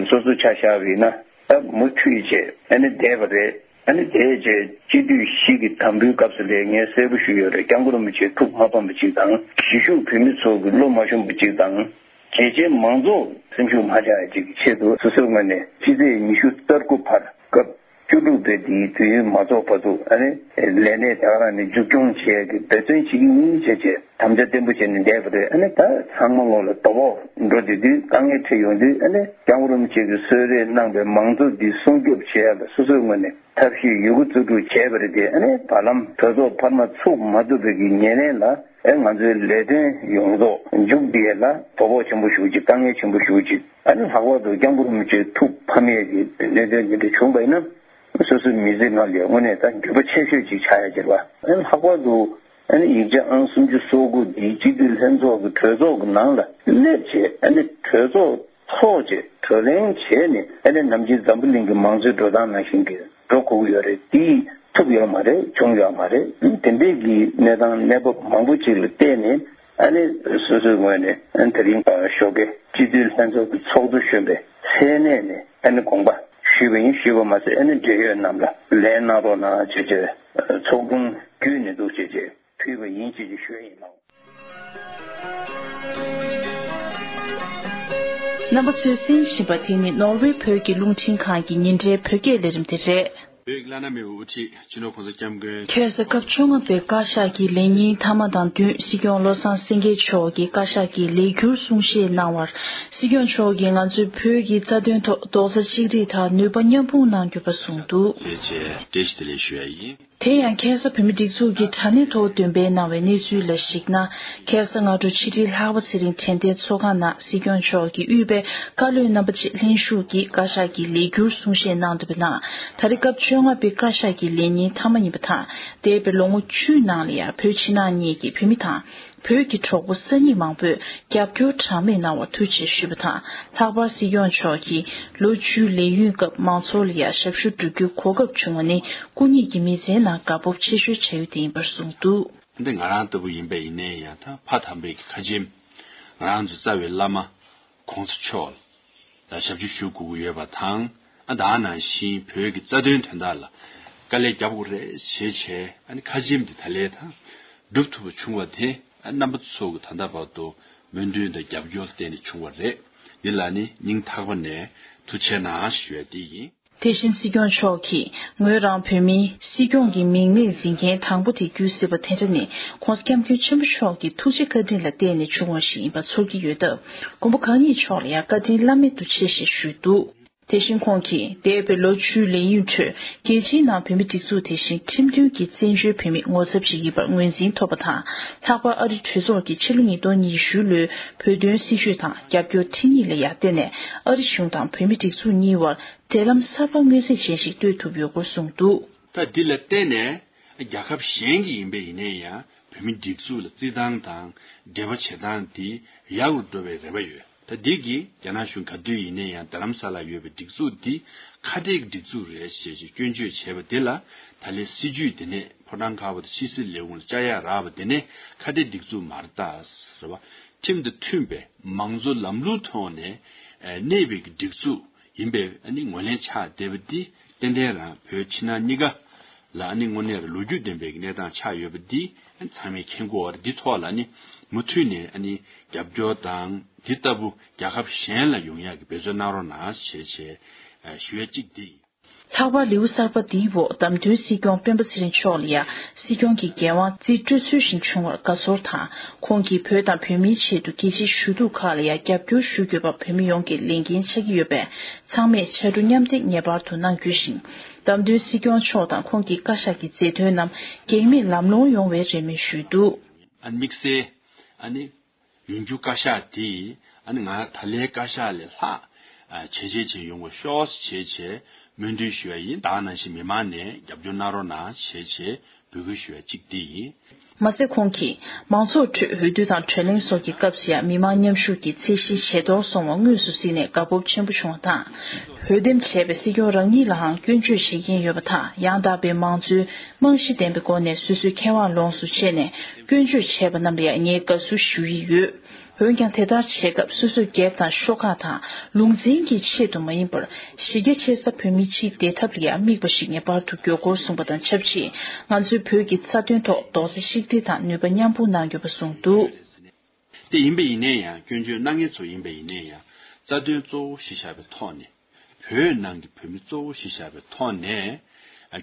སོ་སོ་ཆ་བཞག་པ་ཡིན་ན་ད་མུ་མཐུད་བྱས་ཨ་ནི་བསྡད་པ་རེད། ཨ་ནི་དེའི་རྗེས་སྤྱི་འཐུས་བཞི་གི་དམ་འབུལ་སྐབས་སུ་ལས་ངས་གསལ་པོ་ཞུས་ཡོད་རེད། སྐྱབས་མགོན་རིན་པོ་ཆེས་ཐུགས་མ་ཕམ་པ་ཅིག་དང་གཞིས་བཞུགས་བོད་མི་ཚོ་གི་བློ་མ་ཞུམ་པ་ཅིག་དང་། རྒྱལ་སྤྱིའི་མང་ཚོགས་སེམས་ཤུགས་མ་ཆག་ཡ་ཅིག་གི་ཆེད་དུ་སོ་སོའི་ངོས་ནས་ཕྱི་ཚེས་ཉི་ཤུ་རྩ་དགུ་བར་སྐབས་བཅུ་དྲུག་པའི་འདིའི་དུས་ཡུན་མ་རྫོགས་བར་དུ་ཨ་ནི་ལས་གནས་དེ་ག་རང་ནས་མཇུག་སྐྱོང་བྱེད་ཡ་གི་འབད་བརྩོན་བྱེད་ཀྱི་ཡིན་བྱས་བྱས་དམ་བཅའ་བརྟན་པོ་བྱས་ནས་བསྡད་པ་རེད། ཨ་ནི་ད་ཚང་མ་ངོ་ལ་དོ་ཕོག་འགྲོ་བསྡད་དུས་དཀའ་ངལ་འཕྲད་ཡོང་དུས་ཨ་ནི་སྐྱབས་མགོན་རིན་པོ་ཆེ་གིས་གསོལ་རས་གནང་པའི་མང་གཙོ་འདི་སྲུང་སྐྱོབ་བྱེད་ཡ་ལ་སོ་སོའི་ངོས་ནས་ཐབས་ཤེས་ཡོད་རྒུ་རྩལ་སྤྲུགས་བྱས་པ་རེད་དེ། ཨ་ནི་བར་ལམ་གྲོས་ཚོགས་འཕར་མ་ཚུགས་མ་ཐུབ་པའི་གི་ཉེར་ལེན་ལ་ཨེ་ང་ཚོའི་ལས་དོན་ཡོངས་རྫོགས་མཇུག་བསྡུ་ཡས་ལ་དོ་ཕོག་ཆེན་པོ་ཞེ་པོ་ཅིག་དཀའ་ངལ་ཆེན་པོ་ཞེ་པོ་ཅིག་ཨ་ནི་ལྷག་པར་དུ་སྐྱབས་མགོན་རིན་པོ་ཆེ་ཐུགས་ཕམ་ཡས་ཀྱི་གནད་དོན་འདི་འདྲ་བྱུང་པ་ཡིན་ན་སོ་སོའི་མི་ཚེ་ནང་ལ་དངོས་གནས་ད་འགྱོད་པ་ཆེ་ཤོས་ཅིག་ཆགས་ཡ་ཅིག་རེད་པ། ཨ་ནི་ལྷག་པར་དུ་ཨ་ནི་ཡིག་ཆ་ཨང་སུམ་ཅུ་སོ་དགུ་འདི་སྤྱི་འཐུས་ལྷན་ཚོགས་ཀྱི་གྲོས་ཚོགས་ཀྱི་ནང་ལ་སླེབས་བྱས་ཨ་ནི་གྲོས་ཚོགས་ཚོགས་བྱས་གྲོས་གླེང་བྱས་ནས་ཨ་ནི་ནམ་རྒྱུན་འཛམ་བུ་གླིང་གི་མང་གཙོའི་འགྲོ་སྟངས་ནང་བཞིན་གྱི་འགྲོ་དགོས་ཀྱི་ཡོད་རེད། དེ་ཐུབ་ཡོད་མ་རེད། བྱུང་ཡོད་མ་རེད། དེ་འདྲའི་གི་གནས་སྟངས་གནས་བབ་མང་པོ་ཅིག་ལ་བལྟས་ནས་ཨ་ནི་སོ་སོའི་ངོས་ནས་ཨ་ནི་དེ་རིང་ཞོགས་ཀས་སྤྱི་འཐུས་ལྷན་ཚོགས་ཀྱི་ཚོགས་གཙོ་གཞོན་པའི་མཚན་གནས་ནས་ཨ་ནི་དགོངས་པ་ཞུས་པ་ཡིན། ཞུས་པ་མ་ཟད་ཨ་ནི་འབྲེལ་ཡོད་རྣམས་ལ་ལན་གནང་རོགས་གནང་བྱས་བྱས་ཚོགས་དྲུང་བརྒྱུད་ནས་འདུག་བྱས་བྱས་ཕུལ་བ་ཡིན་ཅེས་ཀྱི་ཞུ་ཡ་ཡིན་ལགས། རྣམ་པ་ཚོས་གསན་བཞིན་པ་དེ་ནི་ནོར་ཝེ་བོད་ཀྱི་རླུང་འཕྲིན་ཁང་གི་ཉིན་རེའི་བོད་སྐད་ལས་རིམ་དེ་རེད། བོད་ཀྱི་བླ་ན་མེད་པའི་དབུ་ཁྲིད་སྤྱི་ནོར་༸གོང་ས་༸སྐྱབས་མགོན། ཁ་སང་སྐབས་བཅོ་ལྔ་པའི་བཀའ་ཤག་གི་ལས་ཉིན་མཐའ་མ་དང་བསྟུན་སྲིད་སྐྱོང་བློ་བཟང་སེང་གེ་མཆོག་གིས་བཀའ་ཤག་གི་ལས་འཁྱུར་གསུང་བཤད་གནང་བར། སྲིད་སྐྱོང་མཆོག་གིས་ང་ཚོས་བོད་ཀྱི་རྩ་དོན་ཐོག་རྡོག་རྩ་གཅིག་སྒྲིལ་དང་ནུས་པ་མཉམ་སྤུངས་གནང་དགོས་པ་གསུངས་འདུག། ཞེས་བྱས་བཀྲ་ཤིས་བདེ་ལེགས་ཞུ་ཡ་ཡིན། དེ་ཡང་ཁ་སང་བོད་མིའི་སྒྲིག་འཛུགས་ཀྱི་དྲ་གནས་ཐོག་འདོན་སྤེལ་གནང་བའི་གནས་ཚུལ་ལ་གཞིགས་ན། ཁ་སང་སྔ་དྲོ་ཕྱི་དྲིལ་ལྷག་པ་ཚེ་རིང་དྲན་རྟེན་ཚོགས་ཁང་ནང་སྲིད་སྐྱོང་མཆོག་གིས་དབུས་པའི་བཀའ་བློན་རྣམ་པ་བཅས་ལྷན་ཞུགས་ཀྱིས་བཀའ་ཤག་གི་ལས་འཁྱུར་གསུང་བཤད་གནང་འདུག་པའི་ནང་། ད་རེས་སྐབས་བཅོ་ལྔ་པའི་བཀའ་ཤག་གི་ལས་ཉིན་མཐའ་མ་ཡིན་པ་དང་། འདས་པའི་ལོ་ངོ་བཅུའི་ནང་ལ་ཡང་བོད་ཕྱི་ནང་གཉིས་ཀྱི་བོད་མི་དང་། བོད་ཀྱི་གྲོགས་པོ་གསར་རྙིང་མང་པོས་རྒྱབ་སྐྱོར་གྲངས་མེད་གནང་བར་ཐུགས་རྗེ་ཆེ་ཞུས་པ་དང་། ལྷག་པར་སྲིད་སྐྱོང་མཆོག་གིས་ལོ་བཅུའི་ལས་ཡུན་སྐབས་མང་ཚོགས་ལ་ཡང་ཞབས་ཞུ་བསྒྲུབ་རྒྱུའི་གོ་སྐབས་བྱུང་བ་ནི་སྐུ་ཉིད་ཀྱི་མི་ཚེའི་ནང་དགའ་སྤོབས་ཆེ་ཤོས་བྱ་ཡུལ་དེ་ཡིན་པར་གསུངས་འདུག། འདི་ང་རང་ལྟ་བུ་ཡིན་པ་ཡིན་ནའི་ཡང་ད་ཕ་དམ་པའི་ཁ་ཆེམས་ང་རང་ཚོའི་རྩ་བའི་བླ་མ་༸གོང་ས་མཆོག་ལ་ཞབས་ཕྱི་ཞུ་དགོས་ཀྱི་ཡོད་པ་དང་། ཨ་ད་ནང་བཞིན་བོད་ཀྱི་རྩ་དོན་དོན་དག་ལ་དཀའ་ལས་རྒྱབ་དགོས་རེད་ཞེས་བྱས་ཨ་ནི་ཁ་ཆེམས་འདི་ད་ལས་དང་སྒྲུབ་ཐུབ་པ་བྱུང་བ་དེ་ཨ་རྣམ་པ་ཚོ་གི་ད་ལྟ་བར་དུ་སྨོན་འདུན་དང་རྒྱབ་སྐྱོར་བརྟེན་ནས་བྱུང་བ་རེད། འདི་ལ་ནི་སྙིང་ཐག་པ་ནས་ཐུགས་རྗེ་ཆེ་གནང་ཞུ་ཡ་དེ་ཡིན། དེ་བཞིན་སྲིད་སྐྱོང་མཆོག་གིས་ངོས་རང་བོད་མིའི་སྲིད་སྐྱོང་གི་མིང་ནས་འཛིན་མཁན་དང་པོ་དེ་རྒྱུད་སྲིད་པ་དེ་འདྲ་ནི་༸གོང་ས་༸སྐྱབས་མགོན་ཆེན་པོ་མཆོག་གི་ཐུགས་རྗེ་བཀའ་དྲིན་ལ་བརྟེན་ནས་བྱུང་བ་ཞིག་ཡིན་པ་ཚོར་གྱི་ཡོད་སྟབས། མགོན་པོ་གང་ཉིད་མཆོག་ལ་ཡང་བཀའ་དྲིན་བླ་མེད་དུ་ཆེ་ཞེས་ཞུས་འདུག། དེ་བཞིན་ཁོང་གིས་འདས་པའི་ལོ་བཅུའི་ལས་ཡུན་ཁྲོད་རྒྱལ་སྤྱིའི་ནང་བོད་མིའི་སྒྲིག་འཛུགས་དེ་བཞིན་ཁྲིམས་མཐུན་གྱི་བཙན་བྱོལ་བོད་མིའི་ངོ་ཚབ་ཅིག་ཡིན་པར་ངོས་འཛིན་ཐོབ་པ་དང་། ལྷག་པར་ཨ་རི་གྲོས་ཚོགས་ཀྱིས་ཕྱི་ལོ་ཉིས་སྟོང་ཉི་ཤུ་ལོའི་བོད་དོན་སྲིད་བྱུས་དང་རྒྱབ་སྐྱོར་ཁྲིམས་ཡིག་ལ་ཡང་བརྟེན་ནས་ཨ་རི་གཞུང་དང་བོད་མིའི་སྒྲིག་འཛུགས་གཉིས་བར་འབྲེལ་ལམ་གསར་པ་མངོན་གསལ་ཅན་ཞིག་གཏོད་ཐུབ་ཡོད་སྐོར་གསུངས་འདུག། ད་འདི་ལ་བརྟེན་ནས་རྒྱལ་ཁབ་གཞན་གྱི་ཡིན་པས་ཡིན་ནའི་ཡང་བོད་མིའི་སྒྲིག་འཛུགས་ལ་བརྩི་སྟངས་དང་འབྲེལ་བ་བྱེད་སྟངས་འདི་ཡག་རུ་འགྲོ་བའི་རེ་བ་ཡོད། ད་འདི་གིས་རྒྱ་ནག་གཞུང་ག་དུས་ཡིན་ནའི་ཡང་རྡ་རམ་ས་ལ་ཡོད་པའི་སྒྲིག་འཛུགས་འདི་ཁ་བྲལ་གྱི་སྒྲིག་འཛུགས་རེད་ཞེས་ཞེས་སྐྱོན་བརྗོད་བྱས་པ་འདི་ལ་ད་ལན་སྲིད་བྱུས་འདི་ནས་ཕོ་བྲང་དཀར་པོ་དང་ཕྱི་སྲིད་ལས་ཁུངས་ལ་བཅར་ཡག་རག་པ་འདི་ནས་ཁ་བྲལ་སྒྲིག་འཛུགས་མ་རེད་ད་ཟེར་བ། ཁྲིམས་དང་མཐུན་པའི་མང་གཙོ་ལམ་ལུགས་ཐོག་ནས་གནས་པའི་སྒྲིག་འཛུགས་ཡིན་པའི་ཨ་ནི་ངོས་ལེན་ཆགས་བསྡད་པ་འདི་ཏན་ཏན་རང་བོད་ཕྱི་ནང་གཉིས་ཀ་ལ་ཨ་ནི་དངོས་གནས་ལ་ལོ་རྒྱུས་ལྡན་པའི་གནས་སྟངས་ཆགས་ཡོད་པ་འདི་ཚང་མས་མཁྱེན་གྱི་ཡོད་རེད། འདི་ཐོག་ལ་ཨ་ནི་མུ་མཐུད་ནས་ཨ་ནི་རྒྱབ་སྐྱོར་དང་འདི་ལྟ་བུ་རྒྱལ་ཁབ་གཞན་ལ་ཡོང་ཡག་གི་འབད་བརྩོན་གནང་རོགས་གནང་ཞེས་བྱས་ཞུ་ཡ་གཅིག་འདི་ཡིན། ལྷག་པར་ལེའུ་གསར་པ་འདིའི་འོག་བདམས་ཐོན་སྲིད་སྐྱོང་སྤེན་པ་ཚེ་རིང་མཆོག་ལ་ཡང་སྲིད་སྐྱོང་གི་འགན་དབང་རྩིས་སྤྲོད་ཚུལ་བཞིན་བྱུང་བར་དགའ་ཚོར་དང་། ཁོང་གིས་བོད་དང་བོད་མིའི་ཆེད་དུ་རྒྱལ་སྤྱིའི་ཞུ་གཏུག་ཁག་ལ་ཡང་རྒྱབ་སྐྱོར་ཞུ་དགོས་པ་བོད་མི་ཡོངས་ཀྱི་ལས་འགན་ཆགས་ཀྱི་ཡོད་པས། ཚང་མས་ཕྱར་གྲུ་མཉམ་འདེགས་ངེས་པར་དུ་གནང་རྒྱུ་ཞིང་། བདམས་ཐོན་སྲིད་སྐྱོང་མཆོག་དང་ཁོང་གི་བཀའ་ཤག་གི་མཛད་དོན་རྣམས་གེགས་མེད་ལམ་ལྷོང་ཡོང་བའི་རེ་སྨོན་ཞུས་འདུག། ཨ་དམིགས་བསལ་ཨ་ནི་ཡོང་རྒྱུ་བཀའ་ཤག་དེ་ཨ་ནི་ང་ད་ལའི་བཀའ་ཤག་ལས་ལྷག་ཨ་བྱས་རྗེས་ཅན་ཡོང་བ་ཤོག་ཅེས་བྱས་བྱས་སྨོན་འདུན་ཞུ་བ་ཡིན། ད་ག་ནང་བཞིན་མི་མང་ནས་རྒྱབ་སྐྱོར་གནང་རོགས་གནང་ཞེས་བྱས་འབོད་སྐུལ་ཞུ་བ་གཅིག་དེ་ཡིན། མ་ཟད། ཁོང་གིས་མང་ཚོགས་ཁྲོད་འོས་བསྡུ་དང་བགྲོ་གླེང་སོགས་ཀྱི་སྐབས་སུ་ཡང་མི་མང་མཉམ་ཞུགས་ཀྱི་ཚད་གཞི་ཇེ་མཐོར་སོང་བ་དངོས་སུ་གཟིགས་ནས་དགའ་སྤོབས་ཆེན་པོ་བྱུང་བ་དང་། འོས་འདེམས་བྱས་པའི་སྲིད་སྐྱོང་རང་ཉིད་ལའང་སྐྱོན་བརྗོད་བྱེད་ཀྱིན་ཡོད་པ་དང་། ཡང་དག་པའི་མང་གཙོའི་རྨང་གཞི་ལྡན་པའི་སྒོ་ནས་སོ་སོའི་ཁེ་དབང་ལོངས་སུ་སྤྱད་ནས་སྐྱོན་བརྗོད་བྱས་པ་རྣམས་ལ་ཡང་ངས་དགའ་བསུ་ཞུ་ཡི་ཡོད། འོན་ཀྱང་དེ་ལྟར་བྱེད་སྐབས་སོ་སོའི་སྒེར་དང་ཤོག་ཁག་དང་ལུང་ཚན་གྱི་ཆེད་དུ་མ་ཡིན་པར། གཞི་རྒྱ་ཆེ་ས་བོད་མི་སྤྱིའི་བདེ་ཐབས་ལ་ཡང་དམིགས་པ་ཞིག་ངེས་པར་དུ་དགོས་སྐོར་གསུངས་པ་དང་ཆབས་ཅིག་ང་ཚོའི་བོད་ཀྱི་རྩ་དོན་ཐོག་རྡོག་རྩ་གཅིག་སྒྲིལ་དང་ནུས་པ་མཉམ་སྤུངས་གནང་དགོས་པ་གསུངས་འདུག། དེ་ཡིན་པ་ཡིན་ན་ཡང་སྐྱོན་བརྗོད་གནང་མཁན་ཚོ་ཡིན་པ་ཡིན་ན་ཡང་རྩ་དོན་གཙོ་བོ་གཞི་བཞག་པའི་ཐོག་ནས། བོད་ནང་གི་བོད་མི་གཙོ་བོ་གཞི་བཞག་པའི་ཐོག་ནས་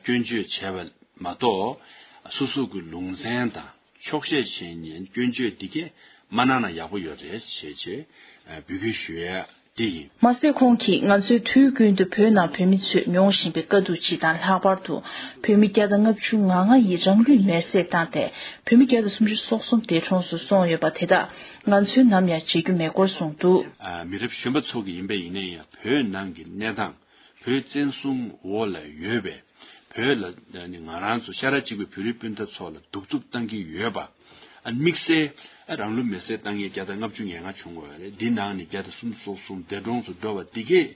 སྐྱོན་བརྗོད་བྱས་པ་མ་གཏོགས། སོ་སོ་གི་ལུང་ཚན་དང་ཕྱོགས་ཞེན་བྱས་ནས་སྐྱོན་བརྗོད་འདི་གས་མ་གནང་ན་ཡག་པོ་ཡོད་རེད་ཞེས་བྱས་འབོད་སྐུལ་ཞུ་ཡ་དེ་ཡིན། མ་ཟད། ཁོང་གིས་ང་ཚོས་དུས་ཀུན་ཏུ་བོད་ནང་བོད་མི་ཚོས་མྱོང་བཞིན་པའི་དཀའ་སྡུག་སྤྱི་དང་། ལྷག་པར་དུ་བོད་མི་བརྒྱ་དང་ལྔ་བཅུ་ང་ལྔ་ཡིས་རང་ལུས་མེར་སྲེག་བཏང་སྟེ། བོད་མི་བརྒྱ་དང་སུམ་ཅུ་སོ་གསུམ་འདས་གྲོངས་སུ་སོང་ཡོད་པ་དེ་དག་ང་ཚོས་ནམ་ཡང་བརྗེད་རྒྱུ་མེད་སྐོར་གསུངས་འདུག། ཨ། མི་རབས་གཞོན་པ་ཚོ་གི་ཡིན་པ་ཡིན་ན་ཡང་བོད་ནང་གི་གནས་སྟངས། བོད་བཙན་བཟུང་འོག་ལ་ཡོད་པའི་བོད་ལ་ནི་ང་རང་ཚོ་ཤ་ཁྲག་གཅིག་པའི་བོད་རིགས་སྤུན་ཟླ་ཚོ་ལ་གདུག་རྩུབ་བཏང་གི་ཡོད་པ། ཨ། དམིགས་བསལ། ཨ། རང་ལུས་མེར་སྲེག་བཏང་མཁན་བརྒྱ་དང་ལྔ་བཅུ་ང་ལྔ་བྱུང་བ་རེད། འདི་ནང་ནས་བརྒྱ་དང་སུམ་ཅུ་སོ་གསུམ་འདས་གྲོངས་སུ་འགྲོ་བ་འདི་གས་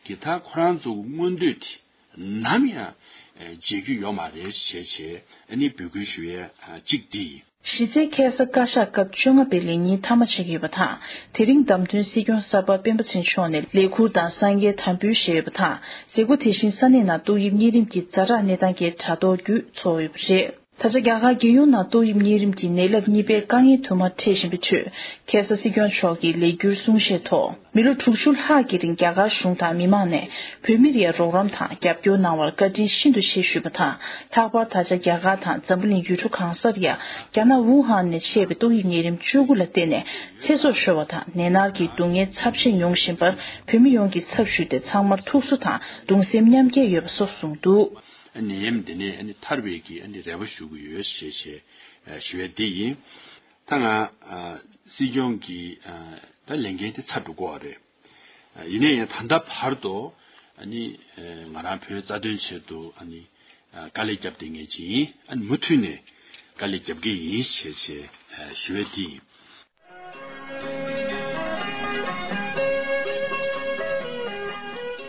ཀྱི་ད་ཁོ་རང་ཚོ་གི་མངོན་འདོད་དེ་ནམ་ཡང་བརྗེད་རྒྱུ་ཡོད་མ་རེད་ཞེས་བྱས་ཨ་ནི་འབོད་སྐུལ་ཞུ་ཡས་གཅིག་འདི་ཡིན། གཞི་རྩའི་ཁ་སང་བཀའ་ཤག་སྐབས་བཅོ་ལྔ་པའི་ལས་ཉིན་མཐའ་མ་ཆགས་ཀྱི་ཡོད་པ་དང་། དེ་རིང་བདམས་ཐོན་སྲིད་སྐྱོང་གསར་པ་སྤེན་པ་ཚེ་རིང་མཆོག་ནས་ལས་ཁུར་དང་གསང་རྒྱའི་དམ་འབུལ་བཞེས་ཡོད་པ་དང་། མཛད་སྒོ་དེ་བཞིན་ས་གནས་ནང་ཏོག་དབྱིབས་གཉན་རིམས་ཀྱི་ཛ་དྲག་གནས་སྟངས་ཀྱི་དྲ་ཐོག་བརྒྱུད་འཚོགས་ཡོད་པ་རེད། ད་ཆ་རྒྱ་གར་རྒྱལ་ཡོངས་ནང་ཏོག་དབྱིབས་གཉན་རིམས་ཀྱི་ནད་རླབས་གཉིས་པའི་དཀའ་ངལ་དུ་མ་འཕྲད་བཞིན་པའི་ཁྲོད། ཁ་སང་སྲིད་སྐྱོང་མཆོག་གིས་ལས་འཁྱུར་གསུང་བཤད་ཐོག་མི་ལོ་དྲུག་ཅུ་ལྷག་གི་རིང་རྒྱ་གར་གཞུང་དང་མི་མང་ནས་བོད་མིར་ཡང་རོགས་རམ་དང་རྒྱབ་སྐྱོར་གནང་བར་བཀའ་དྲིན་ཤིན་ཏུ་ཆེ་ཞུས་པ་དང་། ལྷག་པར་ད་ཆ་རྒྱ་གར་དང་འཛམ་བུ་གླིང་ཡུལ་གྲུ་གང་སར་ཡང་རྒྱ་ནག་ཝུ་ཧན་ནས་མཆེད་པའི་ཏོག་དབྱིབས་ནད་རིམས་བཅུ་དགུ་ལ་བརྟེན་ནས་ཚེ་སྲོག་ཤོར་བ་དང་། ནད་མནར་གྱི་སྡུག་བསྔལ་ཚབས་ཆེན་མྱོང་བཞིན་པར་བོད་མི་ཡོངས་ཀྱི་ཚབ་ཞུས་ཏེ་ཚང་མར་ཐུགས་གསོ་དང་གདུང་སེམས་མཉམ་སྐྱེད་ཡོད་པ་སོགས་གསུངས་འདུག། ནད་ཡམས་འདི་ནས་ཐར་བའི་གི་རེ་བ་ཞུ་གི་ཡོད་ཞེས་ཞེས་ཞུ་ཡ་དེ་ཡིན། ད་ང་ཨ་སྲིད་སྐྱོང་གི་ཨ་ད་ལས་འགན་དེ་ཚར་འགྲོ་གི་ཡོད་རེད། ཨ་ཡིན་ན་ཡང་ད་ལྟ་བར་དུ་ཨ་ནི་ཨ་ང་རང་བོད་རྩ་དོན་ཆེད་དུ་ཨ་ནི་ཨ་དཀའ་ལས་བརྒྱབ་བསྡད་མཁན་ཅིག་ཡིན། ཨ་ནི་མུ་མཐུད་ནས་དཀའ་ལས་རྒྱབ་ཀྱི་ཡིན་ཞེས་ཞེས་ཨ་ཞུ་ཡ་དེ་ཡིན།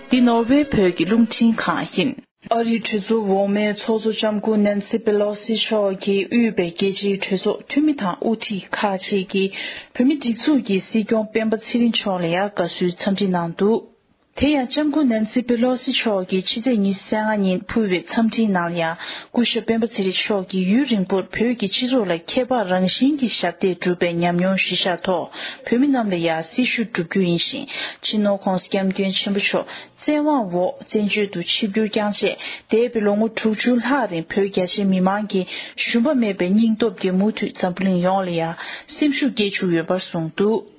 འདི་ནོར་ཝེ་བོད་ཀྱི་རླུང་འཕྲིན་ཁང་ཡིན། ཨ་རིའི་གྲོས་ཚོགས་འོག་མའི་ཚོགས་གཙོ་ལྕམ་སྐུ་ནན་སི་པེ་ལོ་སི་མཆོག་གིས་དབུས་པའི་རྒྱལ་སྤྱིའི་གྲོས་ཚོགས་འཐུས་མི་དང་དབུ་ཁྲིད་ཁག་ཅིག་གིས་བོད་མིའི་སྒྲིག་འཛུགས་ཀྱི་སྲིད་སྐྱོང་སྤེན་པ་ཚེ་རིང་མཆོག་ལ་ཡང་དགའ་བསུའི་འཚམས་འདྲི་གནང་འདུག། དེ་ཡང་ལྕམ་སྐུ་ནན་སི་པེ་ལོ་སི་མཆོག་གིས་ཕྱི་ཚེས་ཉི་ཤུ་རྩ་ལྔ་ཉིན་ཕུལ་བའི་འཚམས་འདྲིའི་ནང་ཡང་སྐུ་ཞབས་སྤེན་པ་ཚེ་རིང་མཆོག་གིས་ཡུན་རིང་པོར་བོད་ཀྱི་སྤྱི་ཚོགས་ལ་ཁྱད་འཕགས་རང་བཞིན་གྱི་ཞབས་འདེགས་བསྒྲུབས་པའི་ཉམས་མྱོང་གཞིར་བཞག་ཐོག་བོད་མི་རྣམས་ལ་ཡང་སྲི་ཞུ་བསྒྲུབ་རྒྱུ་ཡིན་ཞིང་། སྤྱི་ནོར་༧གོང་ས་༧སྐྱབས་མགོན་ཆེན་པོ་མཆོག་བཙན་དབང་འོག་བཙན་བྱོལ་དུ་ཆིབས་བསྒྱུར་བསྐྱངས་རྗེས་འདས་པའི་ལོ་ངོ་དྲུག་ཅུ་ལྷག་རིང་བོད་རྒྱ་ཆེའི་མི་མང་གི་ཞུམ་པ་མེད་པའི་སྙིང་སྟོབས་ཀྱིས་མུ་མཐུད་འཛམ་བུ་གླིང་ཡོངས་ལ་ཡང་སེམས་ཤུགས་སྐྱེད་བཅུག་ཡོད་པར་གསུངས་འདུག།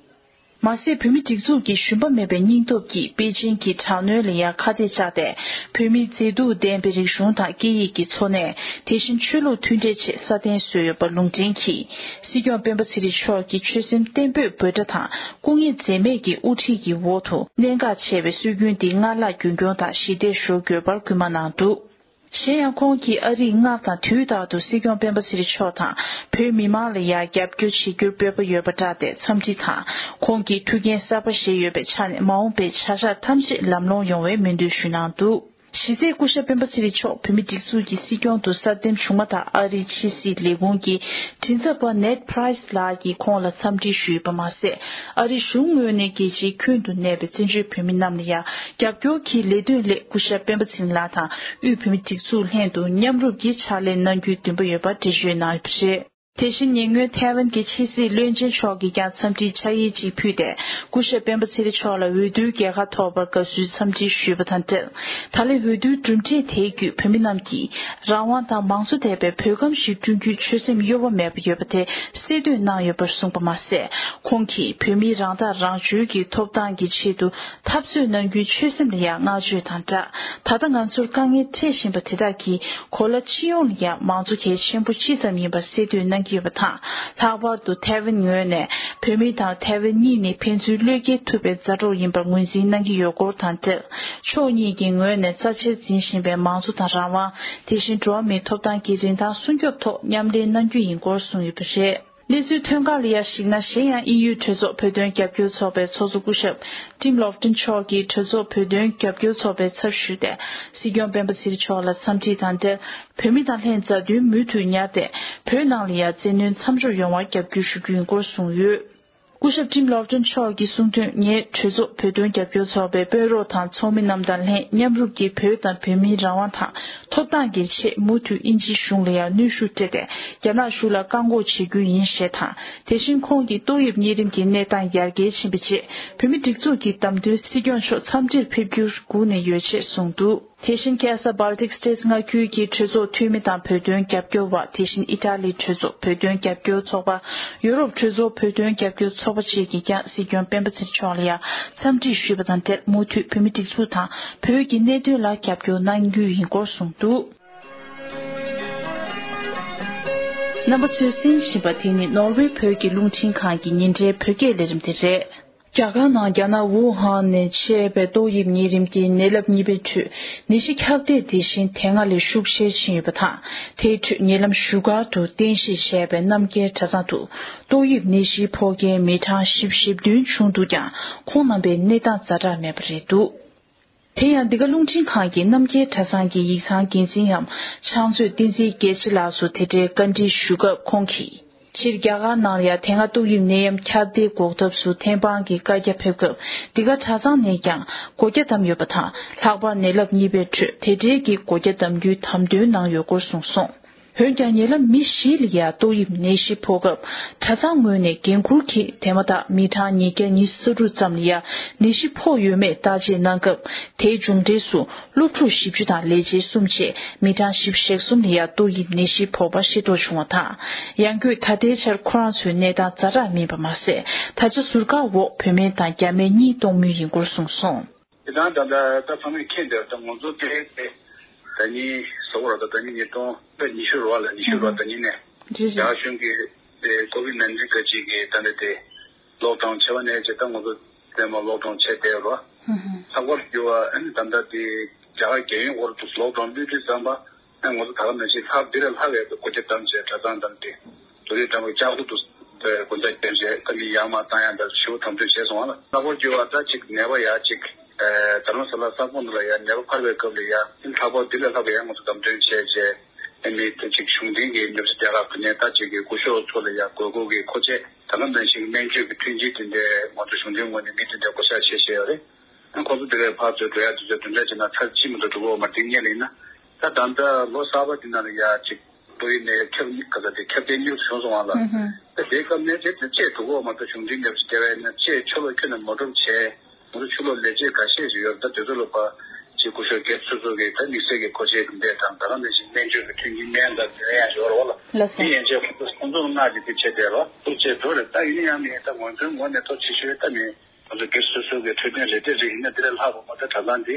མ་ཟད་བོད་མིའི་སྒྲིག་འཛུགས་ཀྱི་ཞུམ་པ་མེད་པའི་སྙིང་སྟོབས་ཀྱིས་པེ་ཅིང་གི་དྲག་གནོན་ལ་ཡང་ཁ་གཏད་བཅག་སྟེ། བོད་མིའི་མཛེས་སྡུག་ལྡན་པའི་རིག་གཞུང་དང་སྐད་ཡིག་གི་འཚོ་གནས། དེ་བཞིན་ཆོས་ལུགས་མཐུན་འབྲེལ་ཆེད་སྲ་བརྟན་བཟོས་ཡོད་པ་ལུང་འདྲེན་གྱིས། སྲིད་སྐྱོང་སྤེན་པ་ཚེ་རིང་མཆོག་གིས་ཆོད་སེམས་བརྟན་པོས་འབོད་སྒྲ་དང་སྐུ་ངལ་འཛེམས་མེད་ཀྱི་དབུ་ཁྲིད་ཀྱི་འོག་ཏུ་གནད་འགག་ཆེ་བའི་སྲོལ་རྒྱུན་འདི་སྔར་ལྷག་རྒྱུན་འཁྱོངས་དང་ཞི་བདེ་ཞུ་དགོས་པར་སྐུལ་མ་གནང་འདུག། གཞན་ཡང་ཁོང་གིས་ཨ་རིས་སྔར་དང་དུས་རྟག་ཏུ་སྲིད་སྐྱོང་སྤེན་པ་ཚེ་རིང་མཆོག་དང་བོད་མི་མང་ལ་ཡང་རྒྱབ་སྐྱོར་བྱེད་རྒྱུར་འབོད་པ་ཡོད་པ་བསྒྲགས་ཏེ་འཚམས་འདྲི་དང་། ཁོང་གིས་ཐུགས་འགན་གསར་པ་བཞེས་ཡོད་པའི་ཆ་ནས་མ་འོངས་པའི་བྱ་གཞག་ཐམས་ཅད་ལམ་ལྷོང་ཡོང་བའི་སྨོན་འདུན་ཞུས་གནང་འདུག། གཞི་རྩའི་སྐུ་ཞབས་སྤེན་པ་ཚེ་རིང་མཆོག་བོད་མིའི་སྒྲིག་འཛུགས་ཀྱི་སྲིད་སྐྱོང་དུ་གསར་འདེམས་བྱུང་མ་ཐག་ཨ་རིའི་ཕྱི་སྲིད་ལས་ཁུངས་ཀྱི་མགྲིན་ཚབ་པ་ནེད་པྲའི་སི་ལགས་ཀྱིས་ཁོང་ལ་འཚམས་འདྲི་ཞུས་པ་མ་ཟད། ཨ་རིའི་གཞུང་ངོས་ནས་རྒྱལ་སྤྱིའི་ཁྱོན་དུ་གནས་པའི་བཙན་བྱོལ་བོད་མི་རྣམས་ལ་ཡང་རྒྱབ་སྐྱོར་གྱི་ལས་དོན་སླད་སྐུ་ཞབས་སྤེན་པ་ཚེ་རིང་ལགས་དང་དབུས་བོད་མིའི་སྒྲིག་འཛུགས་ལྷན་དུ་མཉམ་རུབ་ཀྱིས་ཕྱག་ལས་གནང་རྒྱུའི་འདུན་པ་ཡོད་པ་འགྲེལ་བརྗོད་གནང་ཡོད་པ་རེད། དེ་བཞིན་ཉེ་སྔོན་ཐའེ་ཝན་གྱི་ཕྱི་སྲིད་བློན་ཆེན་མཆོག་གིས་ཀྱང་འཚམས་འདྲིའི་ཕྱག་ཡིག་ཅིག་ཕུལ་ཏེ། སྐུ་ཞབས་སྤེན་པ་ཚེ་རིང་མཆོག་ལ་འོས་བསྡུའི་རྒྱལ་ཁ་ཐོབ་པར་དགའ་བསུའི་འཚམས་འདྲི་ཞུས་པ་དང་འབྲེལ། ད་ལན་འོས་བསྡུའི་གྲུབ་འབྲས་དེའི་བརྒྱུད་བོད་མི་རྣམས་ཀྱིས་རང་དབང་དང་མང་གཙོ་ལྡན་པའི་བོད་ཁམས་ཤིག་བསྐྲུན་རྒྱུའི་ཆོད་སེམས་གཡོ་བ་མེད་པ་ཡོད་པ་དེ་གསལ་སྟོན་གནང་ཡོད་པར་གསུངས་པ་མ་ཟད། ཁོང་གིས་བོད་མིའི་རང་ཐག་རང་གཅོད་ཀྱི་ཐོབ་ཐང་གི་ཆེད་དུ་འཐབ་རྩོད་གནང་རྒྱུའི་ཆོད་སེམས་ལ་ཡང་བསྔགས་བརྗོད་དང་སྦྲགས། ད་ལྟ་ང་ཚོར་དཀའ་ངལ་འཕྲད་བཞིན་པ་དེ་དག་གི་གོ་ལ་སྤྱི་ཡོངས་ལ་ཡང་མང་གཙོ་གལ་ཆེན་པོ་ཅི་ཙམ་ཡིན་པ་གསལ་སྟོན་གནང་། གནང་གི་ཡོད་པ་དང་། ལྷག་པར་དུ་ཐའེ་ཝན་ངོས་ནས་བོད་མི་དང་ཐའེ་ཝན་གཉིས་ནི་ཕན་ཚུན་བློས་འགེལ་ཐུབ་པའི་མཛའ་གྲོགས་ཡིན་པར་ངོས་འཛིན་གནང་གི་ཡོད་སྐོར་དང་འབྲེལ། ཕྱོགས་གཉིས་ཀྱི་ངོས་ནས་རྩ་ཆེར་འཛིན་བཞིན་པའི་མང་གཙོ་དང་རང་དབང་། དེ་བཞིན་འགྲོ་བ་མིའི་ཐོབ་ཐང་གི་རིན་ཐང་སྲུང་སྐྱོབ་ཐོག་མཉམ་ལས་གནང་རྒྱུ་ཡིན་སྐོར་གསུངས་ཡོད་པ་རེད། གནས་ཚུལ་ཐོན་ཁག་ལ་ཡང་གཞིགས་ན། གཞན་ཡང་ཨི་ཡུའི་གྲོས་ཚོགས་བོད་དོན་རྒྱབ་སྐྱོར་ཚོགས་པའི་ཚོགས་གཙོ་སྐུ་ཞབས་ཊིམ་ལོབ་ཏིན་མཆོག་གིས་གྲོས་ཚོགས་བོད་དོན་རྒྱབ་སྐྱོར་ཚོགས་པའི་ཚབ་ཞུས་ཏེ། སྲིད་སྐྱོང་སྤེན་པ་ཚེ་རིང་མཆོག་ལ་འཚམས་འདྲི་དང་འབྲེལ། བོད་མི་དང་ལྷན་མཛའ་མཐུན་མུ་མཐུད་ཉར་ཏེ། བོད་ནང་ལ་ཡང་བཙན་གནོན་མཚམས་འཇོག་ཡོང་བར་རྒྱབ་སྐྱོར་ཞུ་རྒྱུ་ཡིན་སྐོར་གསུངས་ཡོད། སྐུ་ཞབས་ཊིམ་ལོབ་ཏིན་མཆོག་གིས་གསུངས་དོན། ངས་གྲོས་ཚོགས་བོད་དོན་རྒྱབ་སྐྱོར་ཚོགས་པའི་དཔོན་རོགས་དང་ཚོགས་མི་རྣམས་དང་ལྷན་མཉམ་རུབ་ཀྱིས་བོད་དང་བོད་མིའི་རང་དབང་དང་ཐོབ་ཐང་གི་ཆེད་མུ་མཐུད་དབྱིན་ཇིའི་གཞུང་ལ་ཡང་གནོན་ཤུགས་སྤྲད་དེ། རྒྱ་ནག་གཞུང་ལ་བཀག་འགོག་བྱེད་རྒྱུ་ཡིན་ཞེས་དང་། དེ་བཞིན་ཁོང་གིས་ཏོག་དབྱིབས་གཉན་རིམས་ཀྱི་གནས་སྟངས་ཡར་རྒྱས་ཕྱིན་པའི་རྗེས། བོད་མིའི་སྒྲིག་འཛུགས་ཀྱི་བདམས་ཐོན་སྲིད་སྐྱོང་མཆོག་འཚམས་འདྲིར་ཕེབས་རྒྱུར་སྒུག་ནས་ཡོད་ཅེས་གསུངས་འདུག་དེ་བཞིན་ཁ་ས་Baltic States མངའ་ཁུལ་གྱི་གྲོས་ཚོགས་འཐུས་མི་དང་བོད་དོན་རྒྱབ་སྐྱོར་བ། དེ་བཞིན་ཨི་ཊ་ལིའི་གྲོས་ཚོགས་བོད་དོན་རྒྱབ་སྐྱོར་ཚོགས་པ། ཡུ་རོབ་གྲོས་ཚོགས་བོད་དོན་རྒྱབ་སྐྱོར་ཚོགས་པ་བཅས་ཀྱིས་ཀྱང་སྲིད་སྐྱོང་སྤེན་པ་ཚེ་རིང་མཆོག་ལ་ཡང་འཚམས་འདྲི་ཞུས་པ་དང་འབྲེལ། མུ་མཐུད་བོད་མིའི་སྒྲིག་འཛུགས་དང་བོད་ཀྱི་གནད་དོན་ལ་རྒྱབ་སྐྱོར་གནང་རྒྱུ་ཡིན་སྐོར་གསུངས་འདུག་རྣམ་པ་ཚོས་གསན་བཞིན་པ་དེ་ནི་ནོར་ཝེ་བོད་ཀྱི་རླུང་འཕྲིན་ཁང་གི་ཉིན་རེའི་བོད་སྐད་ལས་རིམ་དེ་རེད། རྒྱ་གར་ནང་རྒྱ་ནག་ཝུ་ཧན་ནས་མཆེད་པའི་ཏོག་དབྱིབས་གཉན་རིམས་ཀྱི་ནད་རླབས་གཉིས་པའི་ཁྲོད་ནད་གཞི་ཁྱབ་གདལ་དེ་བཞིན་དེ་སྔ་ལས་ཤུགས་ཆེར་ཕྱིན་ཡོད་པ་དང་། དེའི་ཁྲོད་ཉེ་ལམ་བཞུགས་སྒར་དུ་རྟེན་གཞི་བྱས་པའི་རྣམ་རྒྱལ་གྲྭ་ཚང་དུ་ཏོག་དབྱིབས་ནད་གཞིའི་ཕོག་མཁན་མི་གྲངས་བཞི་བཅུ་ཞེ་བདུན་བྱུང་འདུག་ཀྱང་། ཁོང་རྣམ་པའི་གནས་སྟངས་ཛ་དྲག་མེད་པ་རེད་འདུག་དེ་ཡང་འདི་ག་རླུང་འཕྲིན་ཁང་གིས་རྣམ་རྒྱལ་གྲྭ་ཚང་གི་ཡིག་ཚང་འགན་འཛིན་འམ་ཕྱག་མཛོད་བསྟན་འཛིན་རྒྱལ་མཚན་ལགས་སུ་དེ་འབྲེལ་བཀའ་འདྲི་ཞུ་སྐབས། ཁོང་གིས། སྤྱིར་རྒྱ་གར་ནང་ལ་ཡང་དེ་སྔ་ཏོག་དབྱིབས་ནད་ཡམས་ཁྱབ་གདལ་འགོག་ཐབས་སུ་ཐེམ་སྤང་གི་བཀའ་རྒྱ་ཕེབས་སྐབས། འདི་ག་གྲྭ་ཚང་ནས་ཀྱང་སྒོ་རྒྱ་བསྡམས་ཡོད་པ་དང་། ལྷག་པར་ནད་རླབས་གཉིས་པའི་ཁྲོད་དེ་འབྲེལ་གྱི་སྒོ་རྒྱ་བསྡམ་རྒྱུའི་དམ་དོན་གནང་ཡོད་སྐོར་གསུངས་སོང་། འོན་ཀྱང་ཉེ་ལམ་མི་བཞི་ལ་ཡང་ཏོག་དབྱིབས་ནད་གཞི་ཕོག་སྐབས། གྲྭ་ཚང་ངོས་ནས་འགན་འཁུར་གྱིས་དེ་མ་ཐག་མི་གྲངས་ཉིས་བརྒྱ་ཉི་ཤུ་རྩ་དྲུག་ཙམ་ལ་ཡང་ནད་གཞི་ཕོག་ཡོད་མེད་བརྟག་དཔྱད་གནང་སྐབས། དེའི་མཇུག་འབྲས་སུ། སློབ་ཕྲུག་བཞི་བཅུ་དང་ལས་བྱེད་གསུམ་བཅས་མི་གྲངས་བཞི་བཅུ་ཞེ་གསུམ་ལ་ཡང་ཏོག་དབྱིབས་ནད་གཞི་ཕོག་པ་ཤེས་རྟོགས་བྱུང་བ་དང་། ཡང་སྒོས་ད་ལྟའི་ཆར་ཁོ་རང་ཚོའི་གནས་སྟངས་ཛ་དྲག་མིན་པ་མ་ཟད། ད་ཆ་ཟུར་བཀག་འོག་བོད་མི་དང་རྒྱ་མི་གཉིས་གཏོང་མུས་ཡིན་སྐོར་གསུངས་སོང་། དེ་དང་ད་ལྟ་ད་ཚང་མས་མཁྱེན་བསྡད་ད་ང་ཚོ་དེ་དེ་ད་ནི་ཟ་འོ་ར་ད་ད་ནི་ཉིས་སྟོང་ད་ཉི་ཤུ་རེད་བ་ལ་ཉི་ཤུ་རེད་བ་ད་ནི་ནས་རེད་རེད། རྒྱ་གཞུང་གི་དེ་ཀོ་བིད་ནན་ཏིན་ག་ཅིག་གི་ད་ནི་དེ། ལོག་ཌའོན་བྱས་པ་ནས་བྱས་ད་ང་ཚོ་ཚང་མ་ལོག་ཌའོན་བྱས་བསྡད་རོ། ལྷག་པར་གྱུར་བ་ཨ་ནི་ད་ལྟ་དེ་རྒྱ་གར་རྒྱལ་ཡོངས་སྐོར་དུ་ལོག་ཌའོན་བློས་བཏུས་བརྩམས་པ་ཨ་ང་ཚོ་ད་ག་ནང་བཞིན་ལྷག་འདི་ལས་ལྷག་ཡག་གི་སྒོ་རྒྱ་བསྡམས་བྱས་གྲྭ་ཚང་བསྡམས་ཏེ་དུ་རེས་དྲ་བ་ལྕགས་སྒོ་དུ་སྒོ་རྒྱ་བསྡམས་བྱས་ད་མི་ཡར་མར་བཏང་ཡག་འདྲ་ཞེ་པོ་དམ་དོན་བྱས་སོང་བ་ལ། ལྷག་པར་གྱུར་བ་ད་ཅིག་ནད་པ་ཡག་ཅིག་རྡ་རམ་ས་ལ་ས་ཁོངས་འདི་ལ་ཡང་ནད་པ་འཕར་བའི་སྐབས་ལ་ཡང་ལྷག་པར་འདི་ལས་ལྷག་པའི་ཡང་ང་ཚོ་བདམས་ཐོན་བྱས་རྗེས་ཨ་ནི་ད་ཅིག་གཞུང་འབྲེལ་གྱི་ཉམས་ཞིབ་རྒྱག་ག་ཕུལ་ནས་ད་ཅིག་གི་སྐུ་ཞབས་ཚོ་ལ་ཡང་དགོས་མཁོ་གི་མཁོ་ཆས་ད་ག་ནང་བཞིན་སྨན་བཅོས་ཀྱི་མཐུན་རྐྱེན་དེ་འདྲའི་ང་ཚོ་གཞུང་འབྲེལ་ངོས་ནས་མི་དེ་འདྲའི་བསྐོ་བཞག་བྱས་བཞག་ཡོད་རེད། ཨ་ཁོང་ཚོ་དེ་གའི་ཕར་ཚུར་འགྲོ་ཡག་དུས་ཚོད་དེ་འདྲ་བྱས་ན་ཚར་གཅིག་མ་གཏོགས་འགྲོ་གི་ཡོད་མ་རེད། དེ་སྔོན་ལ་ཡིན་ན་ད་ད་ལྟ་ལོ་གསར་པ་འདི་ནང་ལ་ཡང་ཅིག་ཏོག་དབྱིབས་ནད་ཁྱབ་གཉིས་ག་ས་དེ་ཁྱབ་གདལ་མྱུར་བྱུང་སོང་བ་ལ། ཨ་དེའི་སྐབས་ནས་དེ་དེ་བཅད་འགྲོ་གི་ཡོད་མ་གཏོགས་གཞུང་འབྲེལ་ཉམས་ཞིབ་བྱས་པ་ཡིན་ན་བཅད་ཆོག་ལ་ཁྱོན་ནས་མ་འགྲོ་བྱས། ང་ཚོ་ཕྱི་ལོགས་ལས་བྱེད་འགའ་ཤས་ཤིག་ཡོད་རེད། ད་དེ་ཚོ་ལ་ཕར་ཅིག་སྐུ་ཞབས་སྒེར་སོ་སོ་གི་ད་དམིགས་བསལ་གྱི་མཁོ་ཆས་དེ་འདྲས་དང་ད་ག་ནང་བཞིན་སྨན་བཅོས་ཀྱི་མཐུན་རྐྱེན་སྨན་དང་དེ་འདྲ་ཡང་ཡོད་རེད་བ་ལ། ལགས་སོ། དེ་ཡན་ཆད་ཁོང་ཚོ་ཁོང་ཚོ་ལ་མངགས་ཀྱི་དེ་བྱས་བསྡད་རོགས་ཐུགས་རྗེ་ཆེ་འགྲོ་རེད། ད་ཡིན་ན་ཡང་མིན་ད་ང་ཚོའི་ངོས་ནས་ཐུགས་རྗེ་ཆེ་ཞུ་ཡས་ད་མིན་ང་ཚོ་སྒེར་སོ་སོ་གི་འཕྲོད་བསྟེན་རེ་འདྲ་རེ་ཡིན་ན་དེ་ལས་ལྷག་པ་མ་ད་གྲྭ་ཚང་འདི་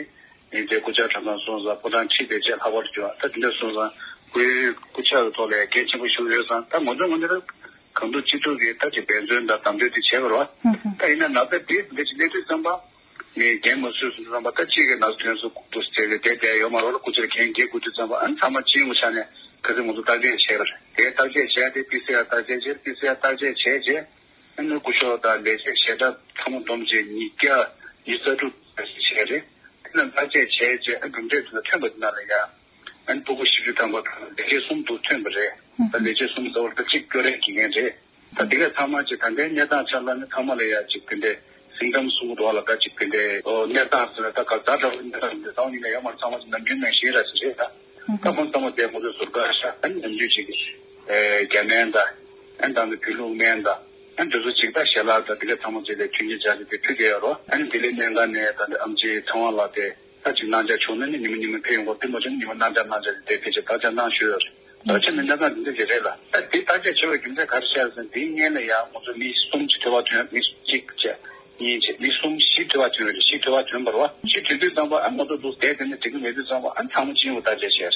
ཡིན་དེ་སྐུ་བཅར་གྲྭ་ཚང་སོང་ཙང་ཕོ་བྲང་ཁྲིད་བསྡད་བྱས་ལྷག་པར་གྱུར་ད་དེ་འདྲ་སོང་ཙང་སྐུའི་སྐུ་ཕྱྭ་གི་ཐོག་ལ་ཡང་གལ་ཆེན་པོ་ཞིག་ཡོད་ཙང་ད་ང་ཚོའི་ངོས་ནས་ད། གང་ཐུབ་ཅི་ཐུབ་ཀྱིས་ད་ཅིག་འབད་བརྩོན་དང་བདམས་ཐོན་དེ་བྱས་པ་རེད་བ། ད་ཡིན་ན་ན་ཚ་དེ་འདི་ཅིག་སླེབས་དུས་ཙམ་པ། ངས་རྒན་མ་བཟོས་སོང་ཙམ་པ་ད་གཅིག་གི་ན་ཚ་ཐོན་སོང་འདུག་ཟེར་གི་བསྡད་བསྡད་ཡོད་མ་རེད་བ་ལ། སྐུ་ཕྱྭ་རྒན་རྒས་དགོས་དུས་ཙམ་པ་ཨ་ནི་ཚང་མ་སྤྱི་ཡོངས་ཆ་ནས་ག་ཚོད་ང་ཚོ་བརྟག་དཔྱད་བྱས་པ་རེད། དེ་བརྟག་དཔྱད་བྱས་ཏེ་པི་སི་ཨར་བརྟག་དཔྱད་བྱས། པི་སི་ཨར་བརྟག་དཔྱད་བྱས་རྗེས་ཨ་ནི་སྐུ་ཞབས་དང་ལས་བྱེད་ཞལ་གྲངས་ཚང་མ་བསྡོམས་རྗེས་ཉིས་བརྒྱ་ཉི་ཤུ་རྩ་དྲུག་བྱས་རེད། དེ་ནས་བརྟག་དཔྱད་བྱས་རྗེས་ཨ་གྲུབ་འབྲས་དེ་ལ་ཐོན་པ་དེ་ནང་ལ་ཡ། ཨ་ནི་སྤུ་གུ་བཞི་བཅུ་ཐམ་པ་དང་ལས་བྱེད་གསུམ་དུ་ཐོན་པ་རེད། ད་ལས་བྱེད་གསུམ་ཟེར་བ་ད་གཅིག་སྐྱོ་རེས་ཀྱི་ངན་རེད། ད་དེ་གས་ཚང་མ་ཅིག་ད་ལྟའི་གནས་སྟངས་ཆ་ལ་ནི་ཚང་མ་ལ་ཡ་ཅིག་དེ་འདྲའི་སིམ་ཊམ་གསུང་གི་འདུག་བ་ལ། ད་ཅིག་དེ་འདྲའི་ཨོ་གནས་སྟངས་ཟེར་ན་ད་ག་ཛ་དྲག་པོའི་གནས་སྟངས་འདི་ཚང་མ་ཡིན་ན་ཡང་མ་ཚང་མ་ཅིག་ནམ་རྒྱུན་ནང་བཞིན་ར་ཅིག་རེད་ད། ད་ཁོང་ཚང་མ་དེ་ཁོང་ཚོའི་ཟུར་བཀག་ཤག་ཨ་ནི་ནམ་རྒྱུན་ཅིག་གི་རྒྱ་སྨན་དང་ཨ་ནི་ད་ནི་བོད་ལུགས་སྨན་དང་ཨ་ནི་དེ་ཚོ་ཅིག་ད་ཞལ་ལག་དང་དེ་གས་ཚང་མ་ཅིག་ལ་མཐུན་རྐྱེན་སྦྱར་ཏེ་དེ་ཕུལ་བསྡད་ཡོད་རོ། ཨ་ནི་ལྡི་ལི་སྨན་ཁང་ནས་ད་ནི་ཨེམ་ཆི་ཚེ་དབང་ལགས་དེ། ད་ཅིག་གནང་འཆར་བྱུང་ན་ནི་ཉི་མ་ཉི་མ་ཕེབས་ཡོང་གི་རེད། མ་བྱུང་ན་ཉི་མ་གནང་འཆར་གནང་འཆར་དེ་ཕལ་ཆེར་བརྟག་དཔྱད་གནང་ཞུས་ཡོད་རེད། ད་ཆ་ནི་གནས་སྟངས་འདི་འདྲ་ཞིག་རེད་ལ། ད་འདི་བརྟག་དཔྱད་བྱེད་པའི་རྒྱུ་མཚན་ག་རེ་བཤད་ཟེར་ན་འདིའི་སྔོན་ལ་ཡང་ང་ཚོ་མི་གསུམ་ཅིག་ཐོལ་པ་ཐོན། མི་གཅིག་བྱས་གཉིས་བྱས་མི་གསུམ་བཞི་ཐོལ་པ་ཐོན་རེད། བཞི་ཐོལ་པ་ཐོན་པ་རེད་བ། བཞི་ཐོན་དུས་ཙམ་པ་ཨ་ང་ཚོ་འདུག་བསྡད་དེ་ནི་འགྲིག་གི་མེད་དུས་ཙམ་པ་ཨ་ཚང་མ་སྤྱི་ཡོངས་བརྟག་དཔྱད་བྱས་རེད།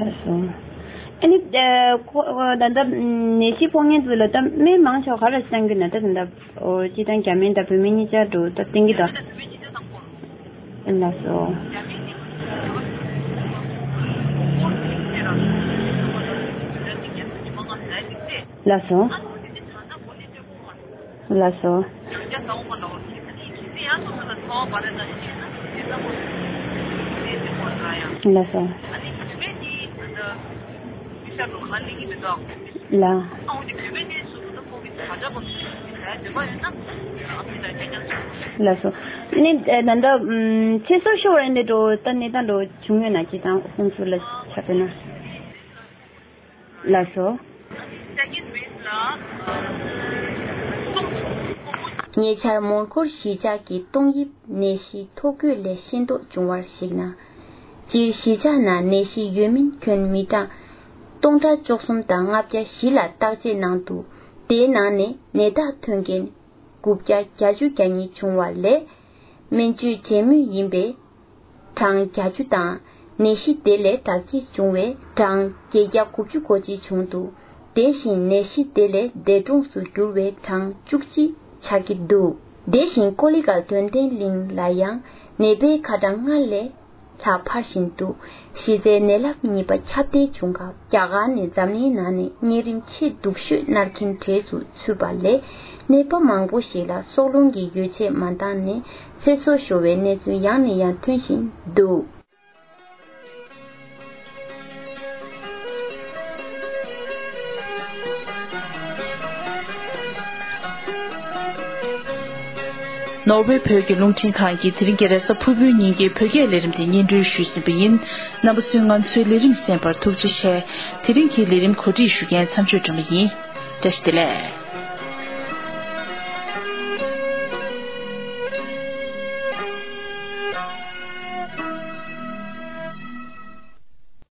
ལགས་སོ། ཨ་ནི་ཁོ་ད་ལྟ་ནད་གཞི་ཕོག་མཁན་ཚོ་ལ་ད་སྨན་མང་ཆེ་བ་ག་རེ་བཏང་གི་ན། ད་ད་ལྟ་སྤྱིར་བཏང་རྒྱ་སྨན་དང་བོད་སྨན་གཉིས་ཆ་འགྲོ་ད་བསྟེན་གི་འདུག་ལགས་སོ། ལགས་སོ། ལགས་སོ། ལགས་སོ། ལགས། ལགས་སོ། ནི་ད་ལྟ་ཚེ་སྲོག་ཤོར་བ་འདི་འགྲོ་ད་གནས་སྟངས་འགྲོ་བྱུང་ཡོད་ན་ཅི་དང་ཁོང་ཚོ་ལ་ཆ་དཔེར་ན། ལགས་སོ། ཉེ་ཆར་མོན་གྷོར་གཞིས་ཆགས་ཀྱི་ཏོག་དབྱིབས་ནད་གཞི་ཐོ་འགོད་ལས་ཤེས་རྟོགས་བྱུང་བར་གཞིགས་ན། སྤྱིར་གཞིས་ཆགས་ནང་ནད་གཞི་ཡོད་མིན་ཁྱོན་མི་གྲངས་སྟོང་ཕྲག་བཅུ་གསུམ་དང་ལྔ་བརྒྱ་བཞི་ལ་བརྟག་དཔྱད་གནང་འདུག་དེའི་ནང་ནས་ནད་རྟགས་ཐོན་མཁན་དགུ་བརྒྱ་བརྒྱད་ཅུ་གྱ་གཉིས་བྱུང་བ་ལས། སྨན་བཅོས་བྱེད་མུས་ཡིན་པའི་གྲངས་བརྒྱད་ཅུ་དང་། ནད་གཞི་དེ་ལས་དྲག་སྐྱེད་བྱུང་བའི་གྲངས་བརྒྱད་བརྒྱ་དགུ་བཅུ་གོ་གཅིག་བྱུང་འདུག་དེ་བཞིན་ནད་གཞི་དེ་ལས་འདས་གྲོངས་སུ་གྱུར་བའི་གྲངས་བཅུ་གཅིག་ཆགས་ཀྱི་འདུག་དེ་བཞིན་ཀོ་ལི་གལ་དོན་ལྡན་གླིང་ལ་ཡང་ནད་པའི་ཁ་གྲངས་སྔར་ལས་ལྷག་འཕར་བཞིན་འདུག་གཞི་རྩའི་ནད་རླབས་གཉིས་པ་ཁྱབ་གདལ་བྱུང་སྐབས་རྒྱ་གར་ནི་འཛམ་གླིང་ནང་ནས་གཉན་རིམས་ཆེས་སྡུག་ཤོས་མནར་མཁན་གྲས་སུ་ཚུད་པ་ལས། ནད་པ་མང་པོ་ཞིག་ལ་སྲོག་རླུང་གི་ཡོ་བྱད་མ་འདང་ནས་ཚེ་སྲོག་ཤོར་བའི་གནས་ཚུལ་ཡང་ནས་ཡང་ཐོན་བཞིན་འདུག་ནོར་ཝེ་བོད་ཀྱི་རླུང་འཕྲིན་ཁང་གིས་དེ་རིང་གི་རེས་གཟའ་ཕུར་བུའི་ཉིན་གྱི་བོད་སྐད་ལས་རིམ་དེ་སྙན་སྒྲོན་ཞུས་ཟིན་པ་ཡིན། རྣམ་པ་ཚོས་ང་ཚོའི་ལས་རིམ་གསན་པར་ཐུགས་རྗེ་ཆེ། དེ་རིང་གི་ལས་རིམ་གོ་སྒྲིག་ཞུ་མཁན་མཚམས་གཅོད་སྒྲོལ་མ་ཡིན། བཀྲ་ཤིས་བདེ་ལེགས།